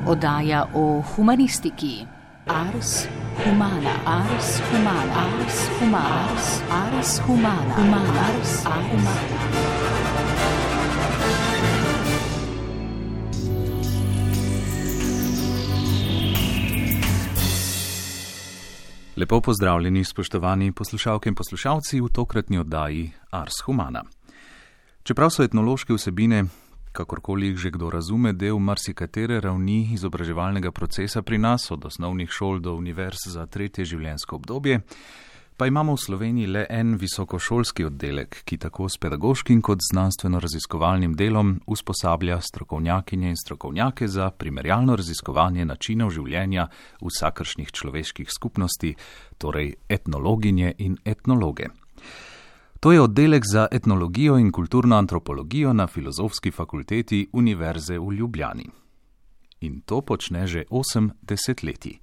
Oddaja o humanistiki. Ars humana, ars humana, ars humana, ars humana, ars humana. Lepo pozdravljeni, spoštovani poslušalke in poslušalci v tokratni oddaji Ars Humana. Čeprav so etnološke vsebine, kakorkoli jih že kdo razume, del marsikatere ravni izobraževalnega procesa pri nas, od osnovnih šol do univerz za tretje življenjsko obdobje, pa imamo v Sloveniji le en visokošolski oddelek, ki tako s pedagoškim kot znanstveno-raziskovalnim delom usposablja strokovnjakinje in strokovnjake za primerjalno raziskovanje načinov življenja vsakršnih človeških skupnosti, torej etnologinje in etnologe. To je oddelek za etnologijo in kulturno antropologijo na Filozofski fakulteti Univerze v Ljubljani. In to počne že 8 desetletij.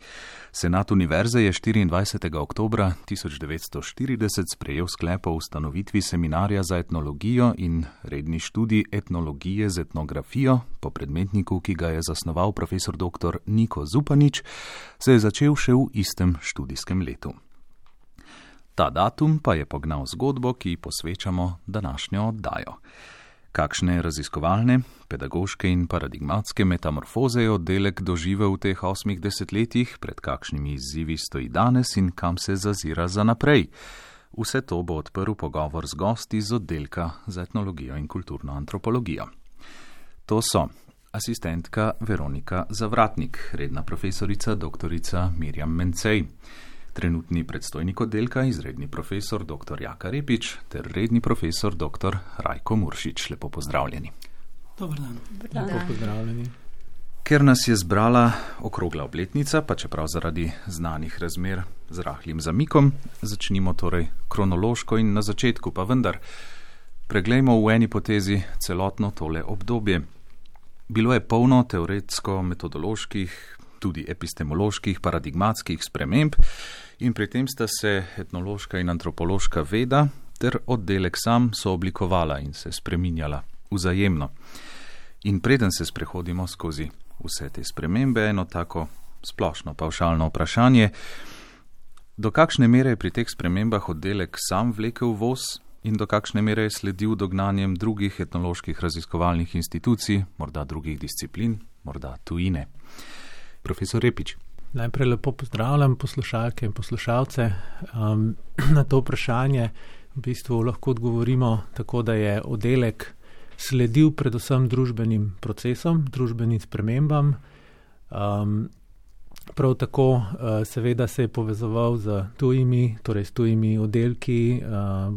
Senat univerze je 24. oktobra 1940 sprejel sklep o ustanovitvi seminarja za etnologijo in redni študij etnologije z etnografijo, po predmetniku, ki ga je zasnoval profesor dr. Niko Zupanič, se je začel še v istem študijskem letu. Ta datum pa je pognal zgodbo, ki posvečamo današnjo oddajo. Kakšne raziskovalne, pedagoške in paradigmatske metamorfoze je oddelek doživel v teh 8 desetletjih, pred kakšnimi izzivi stoji danes in kam se zazira za naprej. Vse to bo odprl pogovor z gosti z oddelka za etnologijo in kulturno antropologijo. To so asistentka Veronika Zavratnik, redna profesorica dr. Mirjam Mencej, trenutni predstojnik oddelka, izredni profesor dr. Jaka Repič ter redni profesor dr. Rajko Muršič. Lepo pozdravljeni. Dobar dan. Lepo pozdravljeni. Ker nas je zbrala okrogla obletnica, pa čeprav zaradi znanih razmer z rahlim zamikom, začnimo torej kronološko in na začetku, pa vendar preglejmo v eni potezi celotno tole obdobje. Bilo je polno teoretsko-metodoloških, tudi epistemoloških, paradigmatskih sprememb in pri tem sta se etnološka in antropološka veda ter oddelek sam sooblikovala in se spreminjala vzajemno. In preden se sprehodimo skozi vse te spremembe, eno tako splošno pavšalno vprašanje, do kakšne mere je pri teh spremembah oddelek sam vlekel voz in do kakšne mere je sledil dognanjem drugih etnoloških raziskovalnih institucij, morda drugih disciplin, morda tujine. Profesor Repič. Najprej lepo pozdravljam poslušalke in poslušalce. Na to vprašanje v bistvu lahko odgovorimo tako, da je oddelek sledil predvsem družbenim procesom, družbenim spremembam. Prav tako seveda se je povezoval z tujimi, torej s tujimi oddelki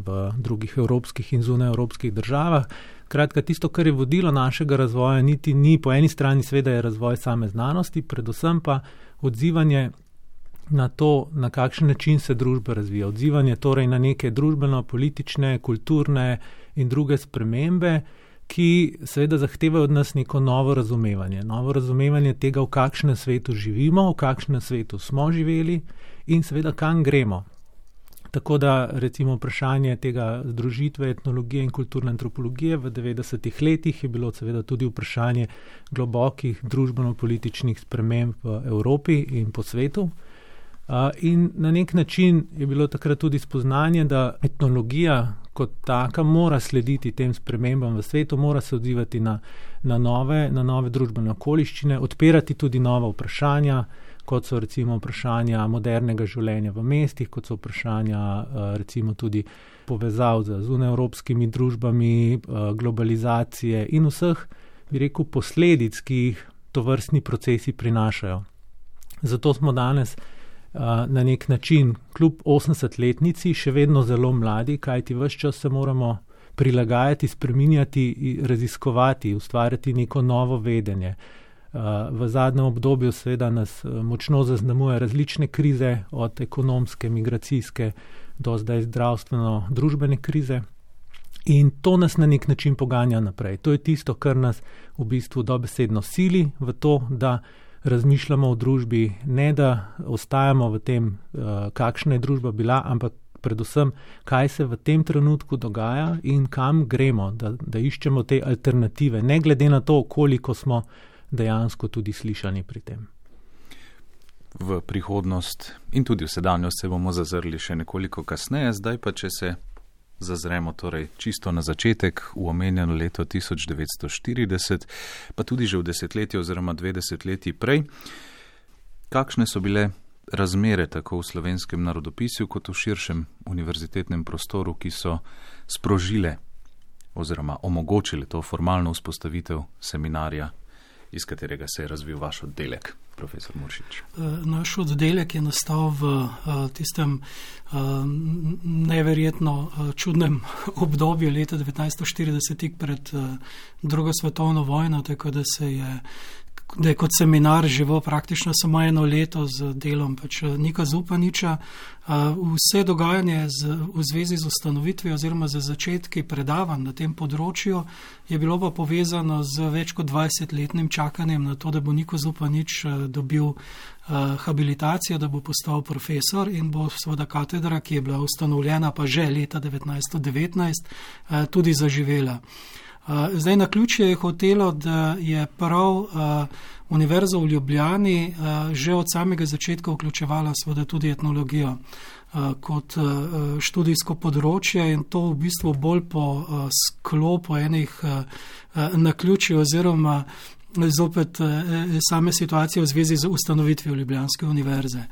v drugih evropskih in zunajevropskih državah. Kratka, tisto, kar je vodilo našega razvoja, niti ni po eni strani seveda je razvoj same znanosti, predvsem pa odzivanje na to, na kakšen način se družba razvija. Odzivanje torej na neke družbeno-politične, kulturne in druge spremembe, ki seveda zahtevajo od nas neko novo razumevanje tega, v kakšnem svetu živimo, v kakšnem svetu smo živeli in seveda kam gremo. Tako da recimo vprašanje tega združitve etnologije in kulturne antropologije v 90-ih letih je bilo seveda tudi vprašanje globokih družbeno-političnih sprememb v Evropi in po svetu. In na nek način je bilo takrat tudi spoznanje, da etnologija kot taka mora slediti tem spremembam v svetu, mora se odzivati na nove družbene okoliščine, odpirati tudi nova vprašanja, kot so recimo vprašanja modernega življenja v mestih, kot so vprašanja recimo tudi povezav z zunajevropskimi družbami, globalizacije in vseh, bi rekel, posledic, ki jih tovrstni procesi prinašajo. Zato smo danes na nek način kljub 80-letnici še vedno zelo mladi, kajti ves čas se moramo prilagajati, spreminjati, raziskovati, ustvarjati neko novo vedenje. V zadnjem obdobju seveda nas močno zaznamuje različne krize, od ekonomske, migracijske do zdaj zdravstveno-družbene krize. In to nas na nek način poganja naprej. To je tisto, kar nas v bistvu dobesedno sili v to, da razmišljamo o družbi, ne da ostajamo v tem, kakšna je družba bila, ampak predvsem, kaj se v tem trenutku dogaja in kam gremo, da iščemo te alternative, ne glede na to, koliko smo dejansko tudi slišani pri tem. V prihodnost in tudi v sedanjost se bomo zazrli še nekoliko kasneje, zdaj pa če se zazremo torej čisto na začetek, v omenjeno leto 1940, pa tudi že v desetletje oziroma 2 desetletji prej. Kakšne so bile razmere tako v slovenskem narodopisju kot v širšem univerzitetnem prostoru, ki so sprožile oziroma omogočile to formalno vzpostavitev seminarja, iz katerega se je razvil vaš oddelek, profesor Muršič? Naš oddelek je nastal v tistem neverjetno čudnem obdobju leta 1940, tik pred drugo svetovno vojno, tako da je kot seminar živel praktično samo 1 leto z delom Nika Zupaniča. Vse dogajanje v zvezi z ustanovitvijo oziroma z začetki predavanj na tem področju je bilo pa povezano z več kot 20-letnim čakanjem na to, da bo Niko Zupanič dobil habilitacijo, da bo postal profesor in bo seveda katedra, ki je bila ustanovljena pa že leta 1919, tudi zaživela. Zdaj naključje je hotelo, da je prav Univerza v Ljubljani že od samega začetka vključevala seveda tudi etnologijo kot študijsko področje in to v bistvu bolj po sklopu enih naključij oziroma zopet same situacije v zvezi z ustanovitvijo Ljubljanske univerze.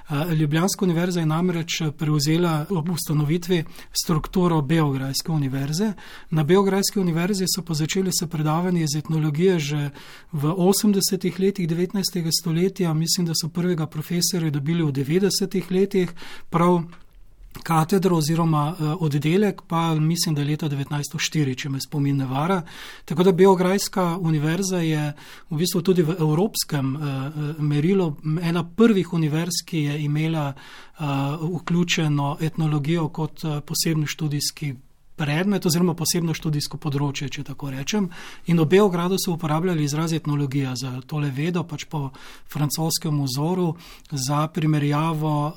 Ljubljanska univerza je namreč prevzela ob ustanovitvi strukturo Beograjske univerze. Na Beograjski univerzi so pa začeli se predavanje iz etnologije že v 80. letih 19. stoletja. Mislim, da so prvega profesorja dobili v 90. letih, prav katedro oziroma oddelek pa mislim, da je leta 1904, če me spomin ne vara. Tako da Beograjska univerza je v bistvu tudi v evropskem merilu ena prvih univerz, ki je imela vključeno etnologijo kot posebni študijski predmet oziroma posebno študijsko področje, če tako rečem. In v Beogradu so uporabljali izraz etnologija za tole vedo, po francoskem vzoru, za primerjavo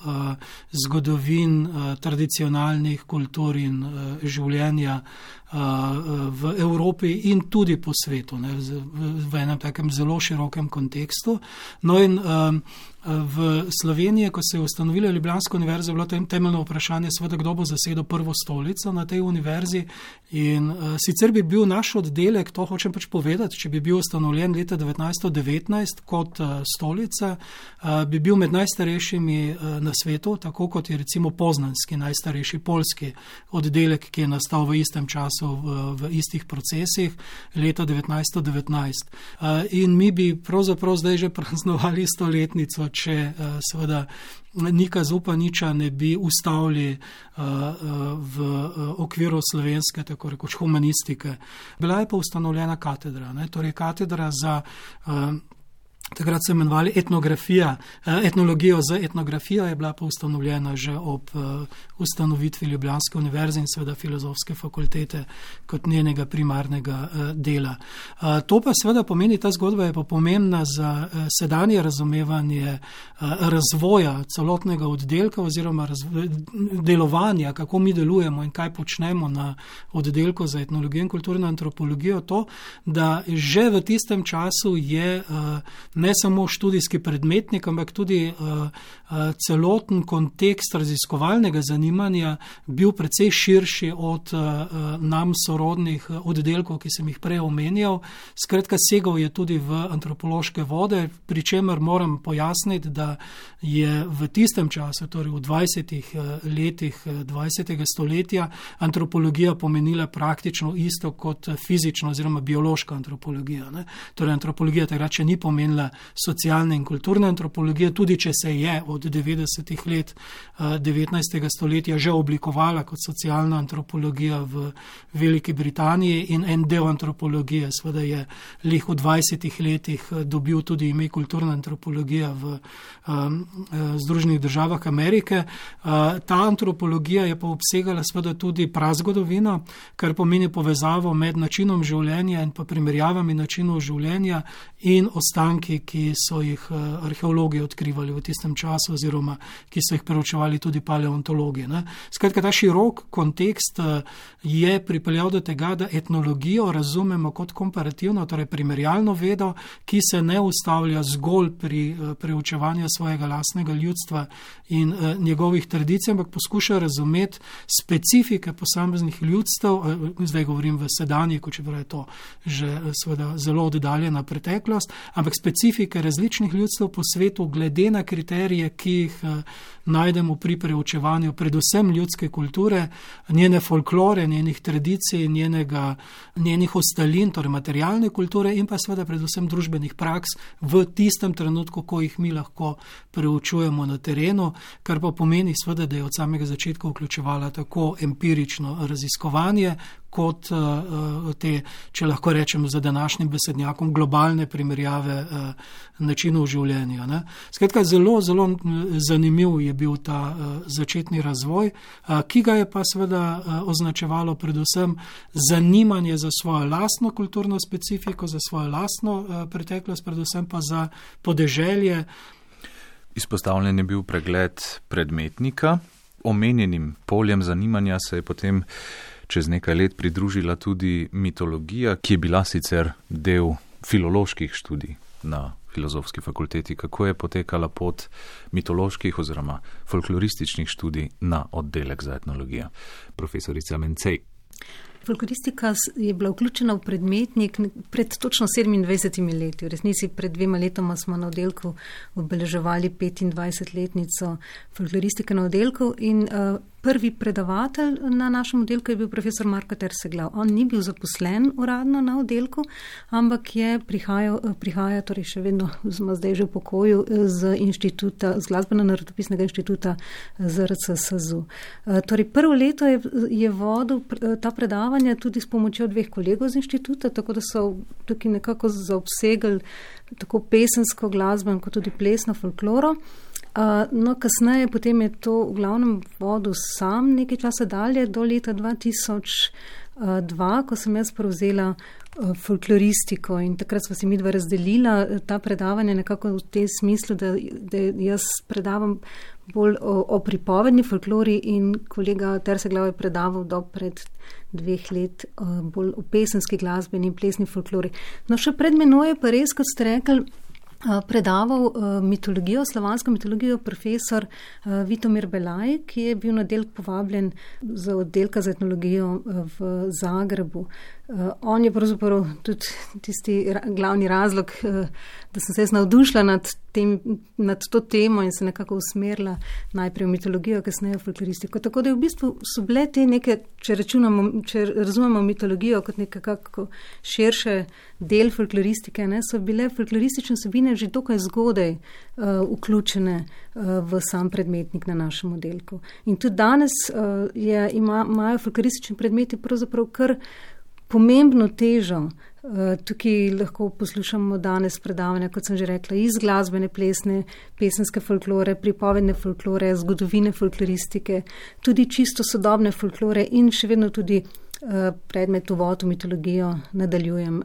zgodovin tradicionalnih kultur in življenja v Evropi in tudi po svetu, v enem takem zelo širokem kontekstu. No in v Sloveniji, ko se je ustanovila Ljubljanska univerza, je bilo temeljno vprašanje seveda, kdo bo zasedel prvo stolico na tej univerzi in sicer bi bil naš oddelek, to hočem povedati, če bi bil ustanovljen leta 1919 kot stolica, bi bil med najstarejšimi na svetu, tako kot je recimo poznanski najstarejši poljski oddelek, ki je nastal v istem času, v istih procesih leta 1919. In mi bi pravzaprav zdaj že praznovali 100-letnico, če seveda Nika Zupaniča ne bi ustavili v okviru slovenske, tako rekoč humanistike. Bila je pa ustanovljena katedra, torej katedra za takrat se imenovali etnologijo z etnografijo, je bila pa ustanovljena že ob ustanovitvi Ljubljanske univerze in seveda filozofske fakultete kot njenega primarnega dela. To pa seveda pomeni, ta zgodba je pa pomembna za sedanje razumevanje razvoja celotnega oddelka oziroma delovanja, kako mi delujemo in kaj počnemo na oddelku za etnologijo in kulturno antropologijo, to, da že v tistem času je ne samo študijski predmetnik, ampak tudi celoten kontekst raziskovalnega zanimanja bil precej širši od nam sorodnih oddelkov, ki sem jih prej omenjal. Skratka, segal je tudi v antropološke vode, pri čemer moram pojasniti, da je v tistem času, torej v 20 letih 20. stoletja, antropologija pomenila praktično isto kot fizična oziroma biološka antropologija. Torej, antropologija takrat še ni pomenila socialne in kulturne antropologije, tudi če se je od 90. let 19. stoletja že oblikovala kot socialna antropologija v Veliki Britaniji in en del antropologije seveda je lih v 20. letih dobil tudi ime kulturna antropologija v Združenih državah Amerike. Ta antropologija je pa obsegala seveda tudi prazgodovino, kar pomeni povezavo med načinom življenja in pa primerjavami načinov življenja in ostanki stvari, ki so jih arheologi odkrivali v tistem času oziroma ki so jih preučevali tudi paleontologi. Skratka, ta širok kontekst je pripeljal do tega, da etnologijo razumemo kot komparativno, torej primerjalno vedo, ki se ne ustavlja zgolj pri preučevanju svojega lastnega ljudstva in njegovih tradicij, ampak poskuša razumeti specifike posameznih ljudstev, zdaj govorim v sedanjiku, čeprav je to že seveda zelo oddaljena preteklost, ampak specifike različnih ljudstev po svetu glede na kriterije, ki jih najdemo pri preučevanju predvsem ljudske kulture, njene folklore, njenih tradicij, njenih ostalin, torej materialne kulture in pa seveda predvsem družbenih praks v tistem trenutku, ko jih mi lahko preučujemo na terenu, kar pa pomeni seveda, da je od samega začetka vključevala tako empirično raziskovanje, kot te, če lahko rečem za današnjim besednjakom, globalne primerjave načinov življenja. Skratka, zelo, zelo zanimiv je bil ta začetni razvoj, ki ga je pa seveda označevalo predvsem zanimanje za svojo lastno kulturno specifiko, za svojo lastno preteklost, predvsem pa za podeželje. Izpostavljen je bil pregled predmetnika. Omenjenim poljem zanimanja se je potem čez nekaj let pridružila tudi mitologija, ki je bila sicer del filoloških študij na Filozofski fakulteti. Kako je potekala pot mitoloških oziroma folklorističnih študij na oddelek za etnologijo? Profesorica Mencej. Folkloristika je bila vključena v predmetnik pred točno 27 leti. V resnici pred 2 letoma smo na oddelku obeleževali 25-letnico folkloristike na oddelku in prvi predavatelj na našem oddelku je bil profesor Marko Terseglav. On ni bil zaposlen uradno na oddelku, ampak je prihaja torej še vedno, smo zdaj že v pokoju, z Glasbeno-narodopisnega inštituta ZRC SAZU. Torej prvo leto je vodil ta predavanja tudi s pomočjo 2 kolegov z inštituta, tako da so tukaj nekako zaobsegali tako pesensko glasbo kot tudi plesno folkloro. No, kasneje potem je to v glavnem vodil sam nekaj časa dalje, do leta 2002, ko sem jaz prevzela folkloristiko in takrat sva si midva razdelila ta predavanja nekako v tem smislu, da jaz predavam bolj o pripovedni folklori in kolega Terseglav je predaval do pred 2 let bolj o pesenski glasbeni in plesni folklori. No, še pred menoj je pa res, kot ste rekli, predaval mitologijo, slovansko mitologijo profesor Vitomir Belaj, ki je bil na oddelek povabljen z oddelka za etnologijo v Zagrebu. On je pravzaprav tudi tisti glavni razlog, da sem se jaz navdušila nad to temo in se nekako usmerila najprej v mitologijo, kasneje v folkloristiko. Tako da v bistvu so bile te neke, če razumemo mitologijo kot nekako širše del folkloristike, so bile folkloristične vsebine že dokaj zgodaj vključene v sam predmetnik na našem oddelku. In tudi danes imajo folkloristični predmeti pravzaprav kar pomembno težo. Tukaj lahko poslušamo danes predavanja, kot sem že rekla, iz glasbene, plesne, pesenske folklore, pripovedne folklore, zgodovine folkloristike, tudi čisto sodobne folklore in še vedno tudi predmet uvod v mitologijo nadaljujem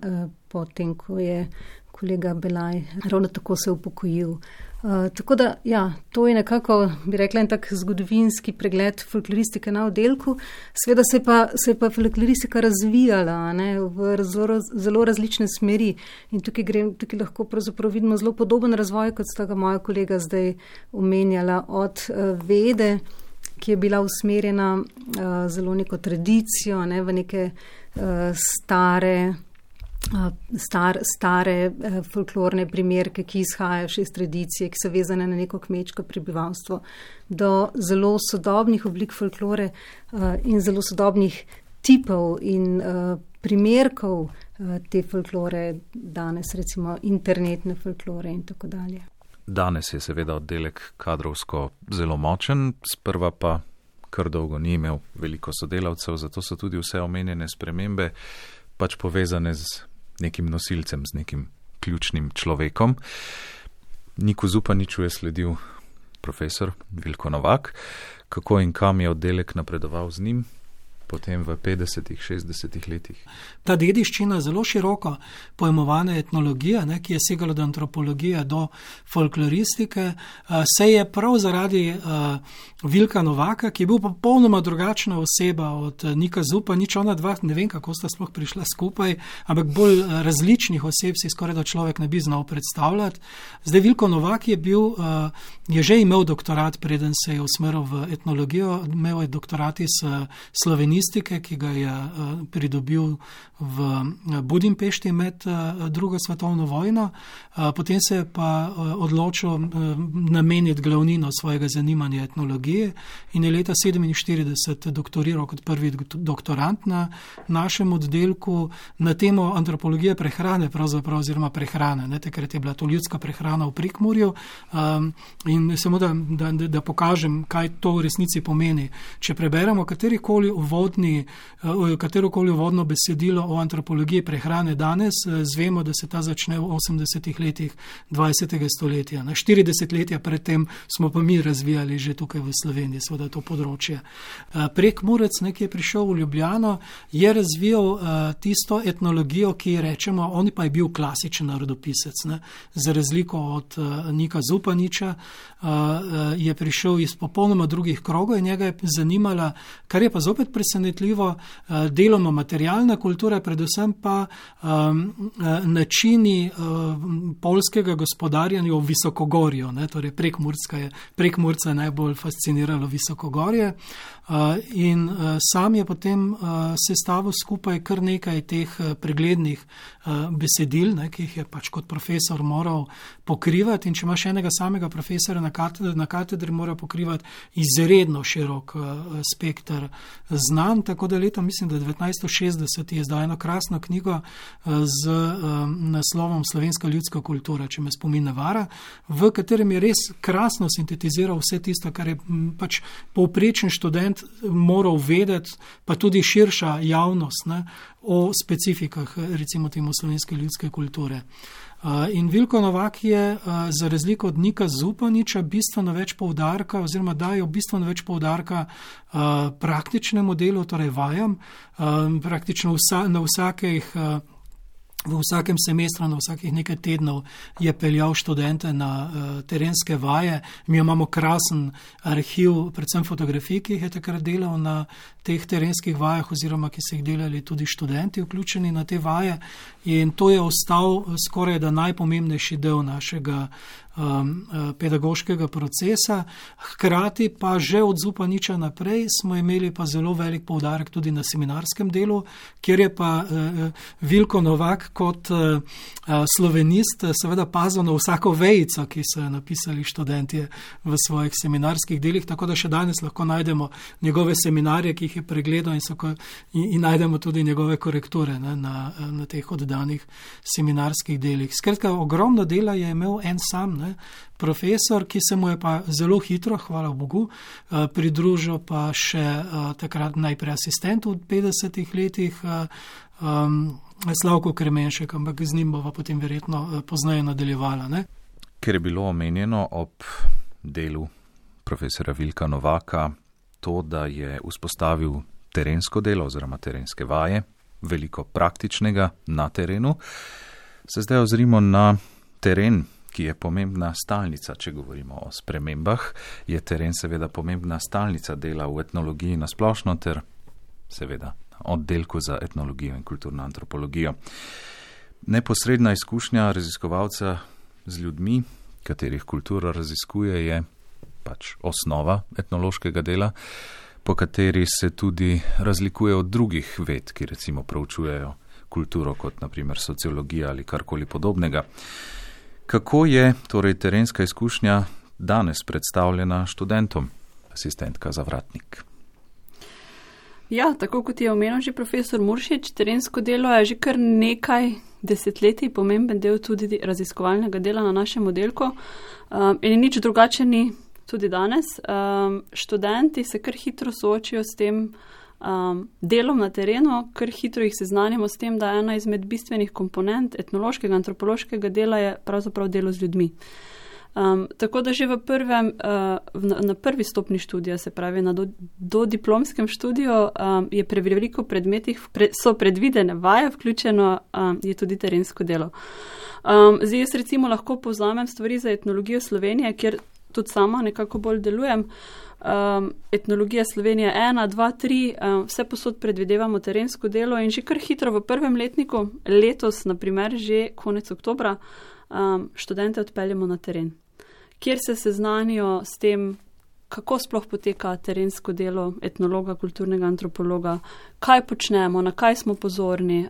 potem, ko je kolega Belaj ravno tako se upokojil. Tako da, ja, to je nekako, bi rekla, en tak zgodovinski pregled folkloristike na oddelku. Sveda se je pa folkloristika razvijala v zelo različne smeri in tukaj lahko pravzaprav vidimo zelo podoben razvoj, kot sta ga moja kolega zdaj omenjala, od vede, ki je bila usmerjena zelo neko tradicijo, v neke stare folklorne primerke, ki izhajajo še iz tradicije, ki so vezane na neko kmečko prebivalstvo, do zelo sodobnih oblik folklore in zelo sodobnih tipov in primerkov te folklore, danes recimo internetne folklore in tako dalje. Danes je seveda oddelek kadrovsko zelo močen, sprva pa kar dolgo ni imel veliko sodelavcev, zato so tudi vse omenjene spremembe pač povezane z nekim nosilcem, z nekim ključnim človekom. Niku Zupaniču je sledil profesor Vilko Novak. Kako in kam je oddelek napredoval z njim? potem v 50-ih, 60-ih letih. Ta dediščina zelo široko pojmovane etnologije, ki je segala od antropologije do folkloristike, se je prav zaradi Vilka Novaka, ki je bil popolnoma drugačna oseba od Nika Zupaniča, ona dva, ne vem, kako sta sploh prišla skupaj, ampak bolj različnih oseb si skoraj da človek ne bi znal predstavljati. Zdaj, Vilko Novak je že imel doktorat, preden se je usmeril v etnologijo, imel je doktorat iz slovenistike, ki ga je pridobil v Budimpešti med drugo svetovno vojno. Potem se je pa odločil nameniti glavnino svojega zanimanja etnologije in je leta 1947 doktoriral kot prvi doktorant na našem oddelku na temo antropologije prehrane, pravzaprav oziroma prehrane. Takrat je bila to ljudska prehrana v Prekmurju. In samo da pokažem, kaj to v resnici pomeni. Če preberemo katerokoli uvodno besedilo o antropologiji prehrane danes, zvemo, da se ta začne v 80-ih letih 20. stoletja. 40 letja predtem smo pa mi razvijali že tukaj v Sloveniji, seveda to področje. Prekmurec, ki je prišel v Ljubljano, je razvijal tisto etnologijo, ki rečemo, on pa je bil klasičen narodopisec. Za razliko od Nika Zupaniča je prišel iz popolnoma drugih krogov in njega je zanimala, kar je pa zopet presenetljivo, deloma materialna kultura, predvsem pa načini poljskega gospodarjanja v Visokogorju. Torej Prekmurca je najbolj fasciniralo Visokogorje in sam je potem sestavil skupaj kar nekaj teh preglednih besedil, ki jih je pač kot profesor moral pokrivati, in če imaš enega samega profesora na katedri, mora pokrivati izredno širok spekter znanj, tako da leta, mislim, da 1960 je izdal eno krasno knjigo z naslovom Slovenska ljudska kultura, če me spomin ne vara, v katerem je res krasno sintetiziral vse tisto, kar je pač povprečen študent moral vedeti, pa tudi širša javnost, o specifikah, recimo temu slovenske ljudske kulture. In Vilko Novak je za razliko od Nika Zupaniča bistveno več poudarka oziroma dajo bistveno več poudarka praktičnemu delu, torej vajam, praktično v vsakem semestru, na vsakih nekaj tednov je peljal študente na terenske vaje. Mi imamo krasen arhiv, predvsem fotografij, ki jih je takrat delal na teh terenskih vajah oziroma ki so jih delali tudi študenti vključeni na te vaje, in to je ostal skoraj da najpomembnejši del našega pedagoškega procesa. Hkrati pa že od Zupaniča naprej smo imeli pa zelo velik poudarek tudi na seminarskem delu, kjer je pa Vilko Novak kot slovenist seveda pazil na vsako vejico, ki so jo napisali študentje v svojih seminarskih delih, tako da še danes lahko najdemo njegove seminarje, ki jih je pregledal, in najdemo tudi njegove korekture na teh oddanih seminarskih delih. Skratka, ogromno dela je imel en sam, profesor, ki se mu je pa zelo hitro, hvala Bogu, pridružil pa še takrat najprej asistent v 50-ih letih, Slavko Kremenšek, ampak z njim bova potem verjetno pozneje nadaljevala. Ker je bilo omenjeno ob delu profesora Vilka Novaka to, da je vzpostavil terensko delo oziroma terenske vaje, veliko praktičnega na terenu, se zdaj ozrimo na teren, ki je pomembna stalnica. Če govorimo o spremembah, je teren seveda pomembna stalnica dela v etnologiji nasplošno ter seveda oddelku za etnologijo in kulturno antropologijo. Neposredna izkušnja raziskovalca z ljudmi, katerih kultura raziskuje, je pač osnova etnološkega dela, po kateri se tudi razlikuje od drugih ved, ki recimo proučujejo kulturo, kot naprimer sociologija ali karkoli podobnega. Kako je torej terenska izkušnja danes predstavljena študentom, asistentka Zavratnik? Ja, tako kot je omenil že profesor Muršič, terensko delo je že kar nekaj desetletij pomemben del tudi raziskovalnega dela na našem oddelku in nič drugače ni tudi danes. Študenti se kar hitro soočijo s tem delom na terenu, kar hitro jih seznanimo s tem, da je ena izmed bistvenih komponent etnološkega, antropološkega dela je pravzaprav delo z ljudmi. Tako da že na prvi stopni študija, se pravi na dodiplomskem študiju, je pri veliko predmetih so predvidene vaje, vključeno je tudi terensko delo. Zdaj jaz recimo lahko povzamem stvari za etnologijo Slovenije, kjer tudi sama nekako bolj delujem. Etnologija Slovenije 1, 2, 3, vse posod predvidevamo terensko delo in že kar hitro v prvem letniku, letos naprimer že konec oktobra, študente odpeljemo na teren, kjer se seznanijo s tem, kako sploh poteka terensko delo etnologa, kulturnega antropologa, kaj počnemo, na kaj smo pozorni,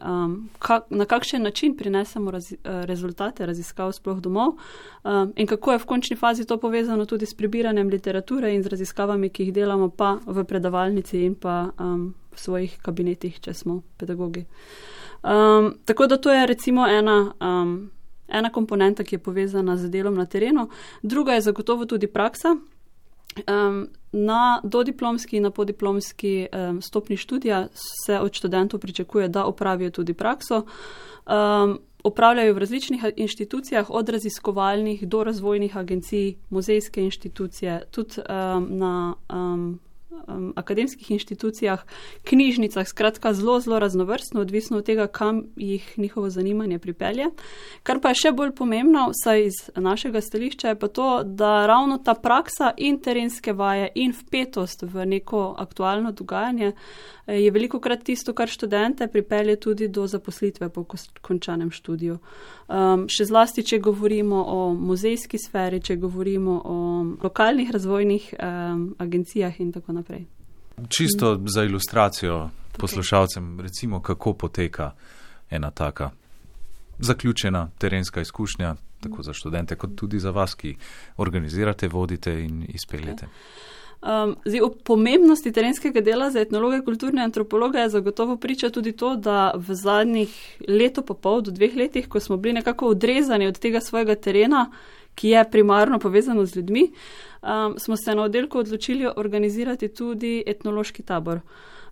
na kakšen način prinesemo rezultate raziskav sploh domov in kako je v končni fazi to povezano tudi s prebiranjem literature in z raziskavami, ki jih delamo pa v predavalnici in pa v svojih kabinetih, če smo pedagogi. Tako da to je recimo ena komponenta, ki je povezana z delom na terenu. Druga je zagotovo tudi praksa. Na dodiplomski in na podiplomski stopni študija se od študentov pričakuje, da opravijo tudi prakso. Opravljajo v različnih inštitucijah, od raziskovalnih do razvojnih agencij, muzejske inštitucije, tudi na akademskih inštitucijah, knjižnicah, skratka zelo, zelo raznovrstno, odvisno od tega, kam jih njihovo zanimanje pripelje. Kar pa je še bolj pomembno, vsaj iz našega stališča, je pa to, da ravno ta praksa in terenske vaje in vpetost v neko aktualno dogajanje je velikokrat tisto, kar študente pripelje tudi do zaposlitve po končanem študiju. Še zlasti, če govorimo o muzejski sferi, če govorimo o lokalnih razvojnih agencijah in tako naprej. Čisto za ilustracijo poslušalcem, recimo, kako poteka ena taka zaključena terenska izkušnja, tako za študente, kot tudi za vas, ki organizirate, vodite in izpeljete. Zdaj, o pomembnosti terenskega dela za etnologe, kulturne antropologe je zagotovo priča tudi to, da v zadnjih leto pa pol do 2 letih, ko smo bili nekako odrezani od tega svojega terena, ki je primarno povezano z ljudmi, smo se na oddelku odločili organizirati tudi etnološki tabor.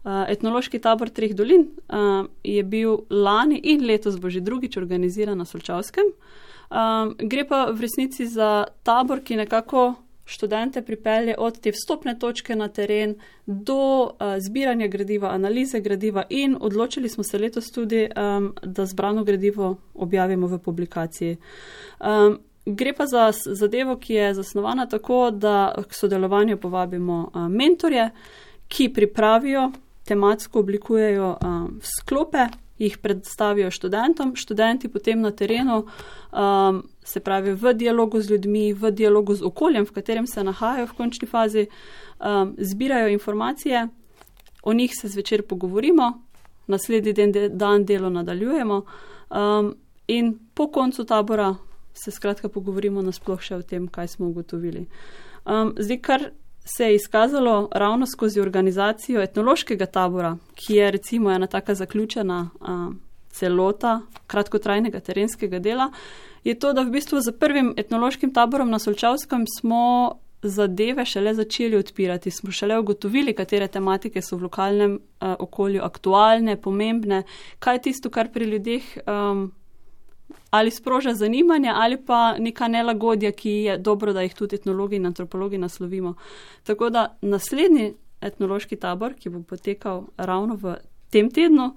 Etnološki tabor Treh dolin je bil lani in letos bo že drugič organiziran na Solčavskem. Gre pa v resnici za tabor, ki nekako študente pripelje od te vstopne točke na teren do zbiranja gradiva, analize gradiva in odločili smo se letos tudi, da zbrano gradivo objavimo v publikaciji. Gre pa za zadevo, ki je zasnovana tako, da k sodelovanju povabimo mentorje, ki pripravijo, tematsko oblikujejo sklope, jih predstavijo študentom, študenti potem na terenu, se pravi v dialogu z ljudmi, v dialogu z okoljem, v katerem se nahajajo v končni fazi, zbirajo informacije, o njih se zvečer pogovorimo, naslednji dan delo nadaljujemo in po koncu tabora se skratka pogovorimo nasploh še o tem, kaj smo ugotovili. Zdaj, kar se je izkazalo ravno skozi organizacijo etnološkega tabora, ki je recimo ena taka zaključena celota kratkotrajnega terenskega dela, je to, da v bistvu za prvim etnološkim taborom na Solčavskem smo zadeve šele začeli odpirati, smo šele ugotovili, katere tematike so v lokalnem okolju aktualne, pomembne, kaj je tisto, kar pri ljudeh ali sproža zanimanje, ali pa neka nelagodja, ki je dobro, da jih tudi etnologi in antropologi naslovimo. Tako da naslednji etnološki tabor, ki bo potekal ravno v tem tednu,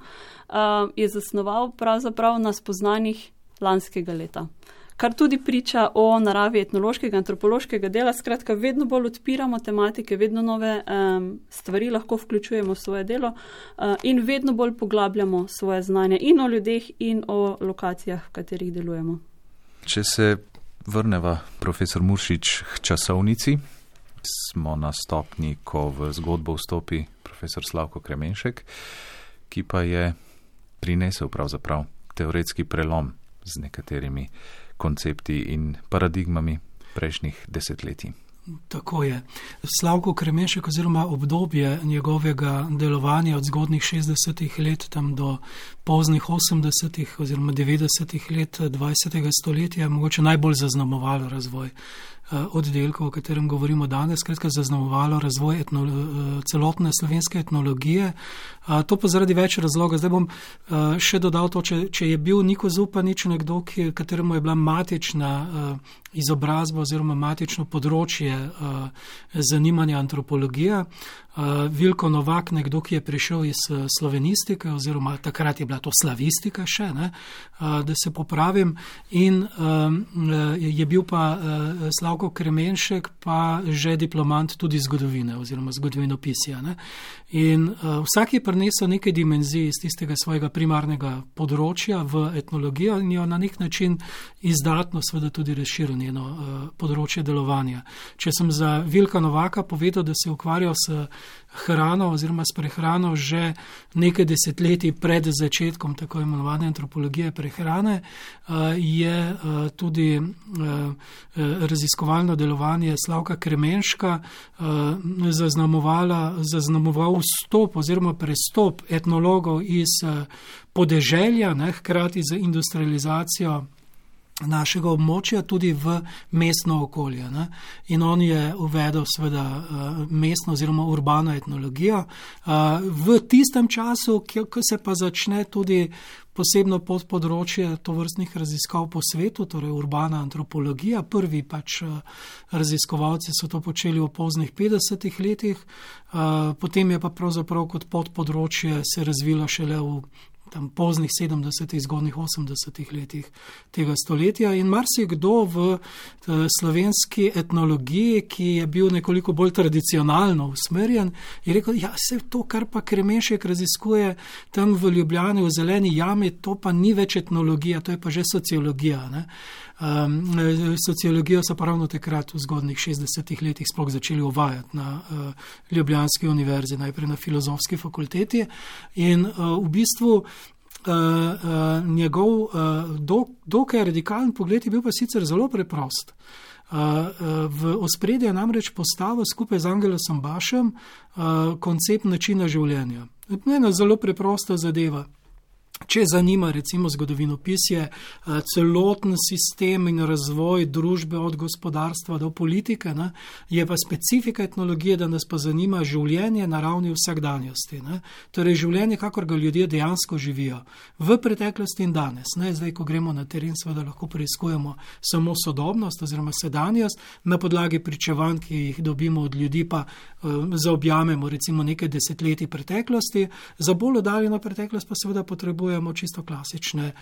je zasnoval pravzaprav na spoznanjih lanskega leta. Kar tudi priča o naravi etnološkega, antropološkega dela, skratka vedno bolj odpiramo tematike, vedno nove stvari lahko vključujemo v svoje delo in vedno bolj poglabljamo svoje znanje in o ljudeh in o lokacijah, v katerih delujemo. Če se vrneva, profesor Muršič, k časovnici, smo na stopni, ko v zgodbo vstopi profesor Slavko Kremenšek, ki pa je prinesel pravzaprav teoretski prelom z nekaterimi koncepti in paradigmami prejšnjih desetletij. Tako je. Slavko Kremenšek oziroma obdobje njegovega delovanja od zgodnih 60-ih let tam do poznih 80-ih oziroma 90-ih let 20. stoletja je mogoče najbolj zaznamovalo razvoj oddelku, o katerem govorimo danes, skratka zaznamovalo razvoj celotne slovenske etnologije. To pa zaradi več razlogov. Zdaj bom še dodal to, če je bil Niko Zupanič nekdo, kateremu je bila matična izobrazba oziroma matično področje zanimanja antropologija. Vilko Novak, nekdo, ki je prišel iz slovenistike oziroma takrat je bila to slavistika še, ne, da se popravim, in je bil pa Slavko Kremenšek pa že diplomant tudi zgodovine oziroma zgodovinopisja. Ne. In vsak je prinesel nekaj dimenzij iz tistega svojega primarnega področja v etnologijo in jo na nek način izdatno seveda tudi razširil njeno področje delovanja. Če sem za Vilka Novaka povedal, da se ukvarjal s hrano oziroma s prehrano že nekaj desetletij pred začetkom tako imenovane antropologije prehrane, je tudi raziskovalno delovanje Slavka Kremenška zaznamoval vstop oziroma prestop etnologov iz podeželja, ne, hkrati z industrializacijo našega območja tudi v mestno okolje. Ne. In on je uvedel seveda mestno oziroma urbano etnologijo. V tistem času, ko se pa začne tudi posebno podpodročje tovrstnih raziskav po svetu, torej urbana antropologija. Prvi pač raziskovalci so to počeli v poznih 50-ih letih, potem je pa pravzaprav kot podpodročje se razvilo šele v tam poznih 70-ih, zgodnjih 80-ih letih tega stoletja in marsikdo v slovenski etnologiji, ki je bil nekoliko bolj tradicionalno usmerjen, je rekel, ja, vse to, kar pa Kremenšek raziskuje tam v Ljubljani, v Zeleni jami, to pa ni več etnologija, to je pa že sociologija. Ne? Sociologijo so pa ravno takrat v zgodnjih 60-ih letih sploh začeli uvajati na Ljubljanski univerzi, najprej na Filozofski fakulteti in v bistvu njegov dokaj radikalen pogled je bil pa sicer zelo preprost. V ospredje je namreč postavil skupaj z Angelosom Bašem koncept načina življenja. Ena zelo preprosta zadeva. Če zanima recimo zgodovinopisje, celoten sistem in razvoj družbe od gospodarstva do politike, ne, je pa specifika etnologije, da nas pa zanima življenje na ravni vsakdanjosti. Ne. Torej življenje, kakor ga ljudje dejansko živijo v preteklosti in danes. Ne. Zdaj, ko gremo na teren, seveda lahko preiskujemo samo sodobnost oziroma sedanjost, na podlagi pričevanj, ki jih dobimo od ljudi, pa zaobjamemo recimo nekaj desetletij preteklosti, za bolj oddaljeno preteklost pa seveda potrebujemo čisto klasične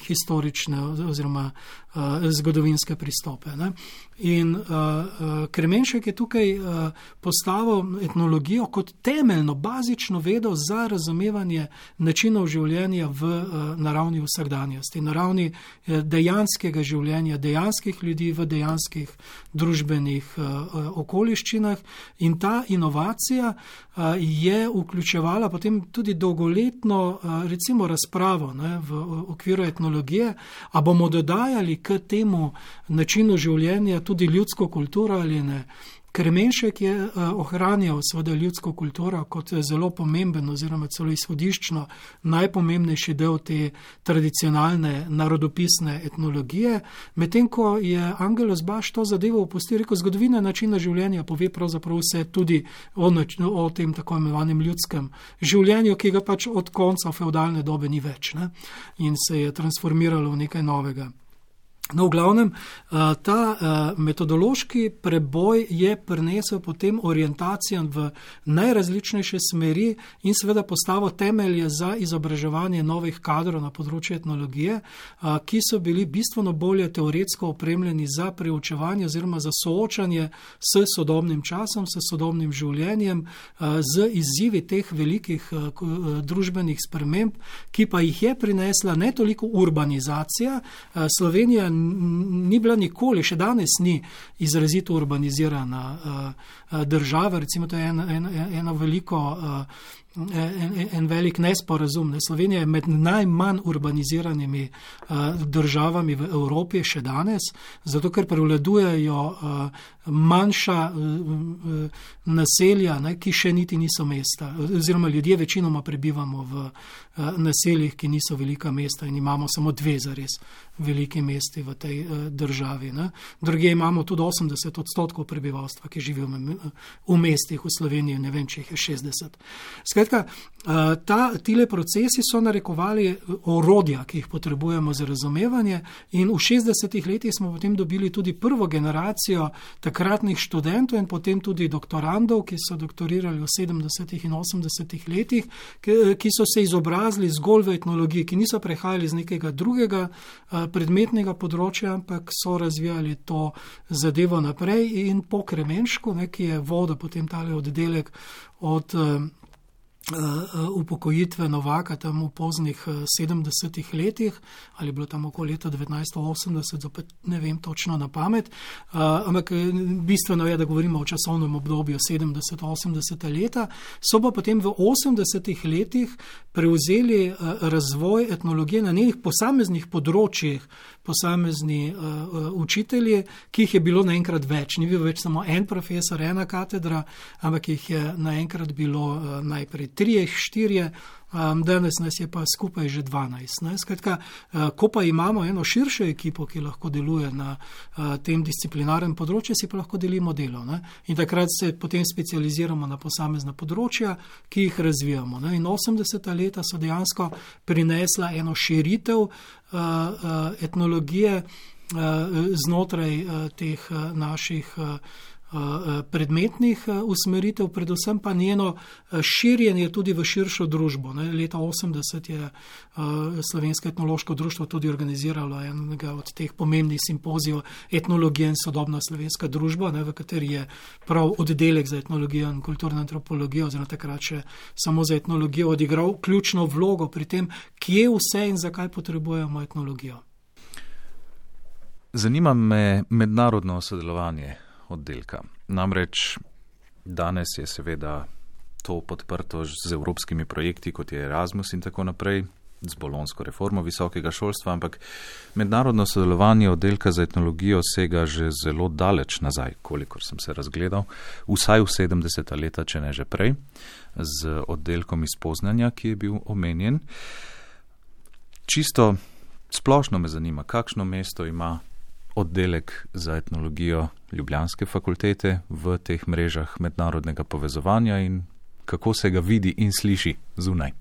historične oziroma zgodovinske pristope. Ne? In Kremenšek je tukaj postavil etnologijo kot temeljno, bazično vedo za razumevanje načinov življenja v naravni vsakdanjosti, naravni dejanskega življenja, dejanskih ljudi v dejanskih družbenih okoliščinah. In ta inovacija je vključevala potem tudi dolgoletno recimo razpravo, ne, v okviru etnologije, a bomo dodajali k temu načinu življenja tudi ljudsko kulturo ali ne. Kremenšek je ohranjal seveda ljudsko kulturo kot zelo pomemben oziroma celo izhodiščno najpomembnejši del te tradicionalne narodopisne etnologije, medtem ko je Angelos Baš to zadevo opustil, rekel, zgodovina načina življenja pove pravzaprav vse tudi o tem tako imenovanem ljudskem življenju, ki ga pač od konca feudalne dobe ni več, ne? In se je transformiralo v nekaj novega. No, v glavnem, ta metodološki preboj je prinesel potem orientacijan v najrazličnejše smeri in seveda postavil temelje za izobraževanje novih kadrov na področju etnologije, ki so bili bistveno bolje teoretsko opremljeni za preučevanje oziroma za soočanje s sodobnim časom, s sodobnim življenjem, z izzivi teh velikih družbenih sprememb, ki pa jih je prinesla ne toliko urbanizacija. Slovenija ni bila nikoli, še danes ni izrazito urbanizirana država, recimo to je eno veliko en velik nesporazum. Slovenija je med najmanj urbaniziranimi državami v Evropi še danes, zato ker prevladujejo manjša naselja, ki še niti niso mesta, oziroma ljudje večinoma prebivamo v naseljih, ki niso velika mesta in imamo samo 2 zares veliki mesti v tej državi. Druge imamo tudi 80% prebivalstva, ki živijo v mestih v Sloveniji, ne vem, če jih je 60. Skratka, tile procesi so narekovali orodja, ki jih potrebujemo za razumevanje, in v 60 letih smo potem dobili tudi prvo generacijo takratnih študentov in potem tudi doktorandov, ki so doktorirali v 70 in 80 letih, ki so se izobrazili zgolj v etnologiji, ki niso prehajali z nekega drugega predmetnega področja, ampak so razvijali to zadevo naprej in po Kremenšku, ki je vodil potem tale oddelek od upokojitve Novaka tam v poznih 70 letih, ali bilo tam okoli leta 1980, zopet ne vem točno na pamet, ampak bistveno je, da govorimo o časovnem obdobju 70-80 leta, so pa potem v 80 letih prevzeli razvoj etnologije na nekih posameznih področjih, posamezni učitelji, ki jih je bilo naenkrat več. Ni bil več samo en profesor, ena katedra, ampak jih je naenkrat bilo najprej 3, 4, danes nas je pa skupaj že 12. Skratka, ko pa imamo eno širšo ekipo, ki lahko deluje na tem disciplinarnem področju, si pa lahko delimo delo. In takrat se potem specializiramo na posamezna področja, ki jih razvijamo. In 80. leta so dejansko prinesla eno širitev etnologije znotraj teh naših predmetnih usmeritev, predvsem pa njeno širjenje tudi v širšo družbo. Leta 80 je Slovensko etnološko društvo tudi organiziralo enega od teh pomembnih simpozijev Etnologija in sodobna slovenska družba, v kateri je prav oddelek za etnologijo in kulturno antropologijo, oziroma takrat še samo za etnologijo, odigral ključno vlogo pri tem, kje vse in zakaj potrebujemo etnologijo. Zanima me mednarodno sodelovanje oddelka. Namreč danes je seveda to podprto z evropskimi projekti, kot je Erasmus in tako naprej, z bolonsko reformo visokega šolstva, ampak mednarodno sodelovanje oddelka za etnologijo sega že zelo daleč nazaj, kolikor sem se razgledal, vsaj v 70. leta, če ne že prej, z oddelkom iz Poznanja, ki je bil omenjen. Čisto splošno me zanima, kakšno mesto ima oddelek za etnologijo Ljubljanske fakultete v teh mrežah mednarodnega povezovanja in kako se ga vidi in sliši zunaj.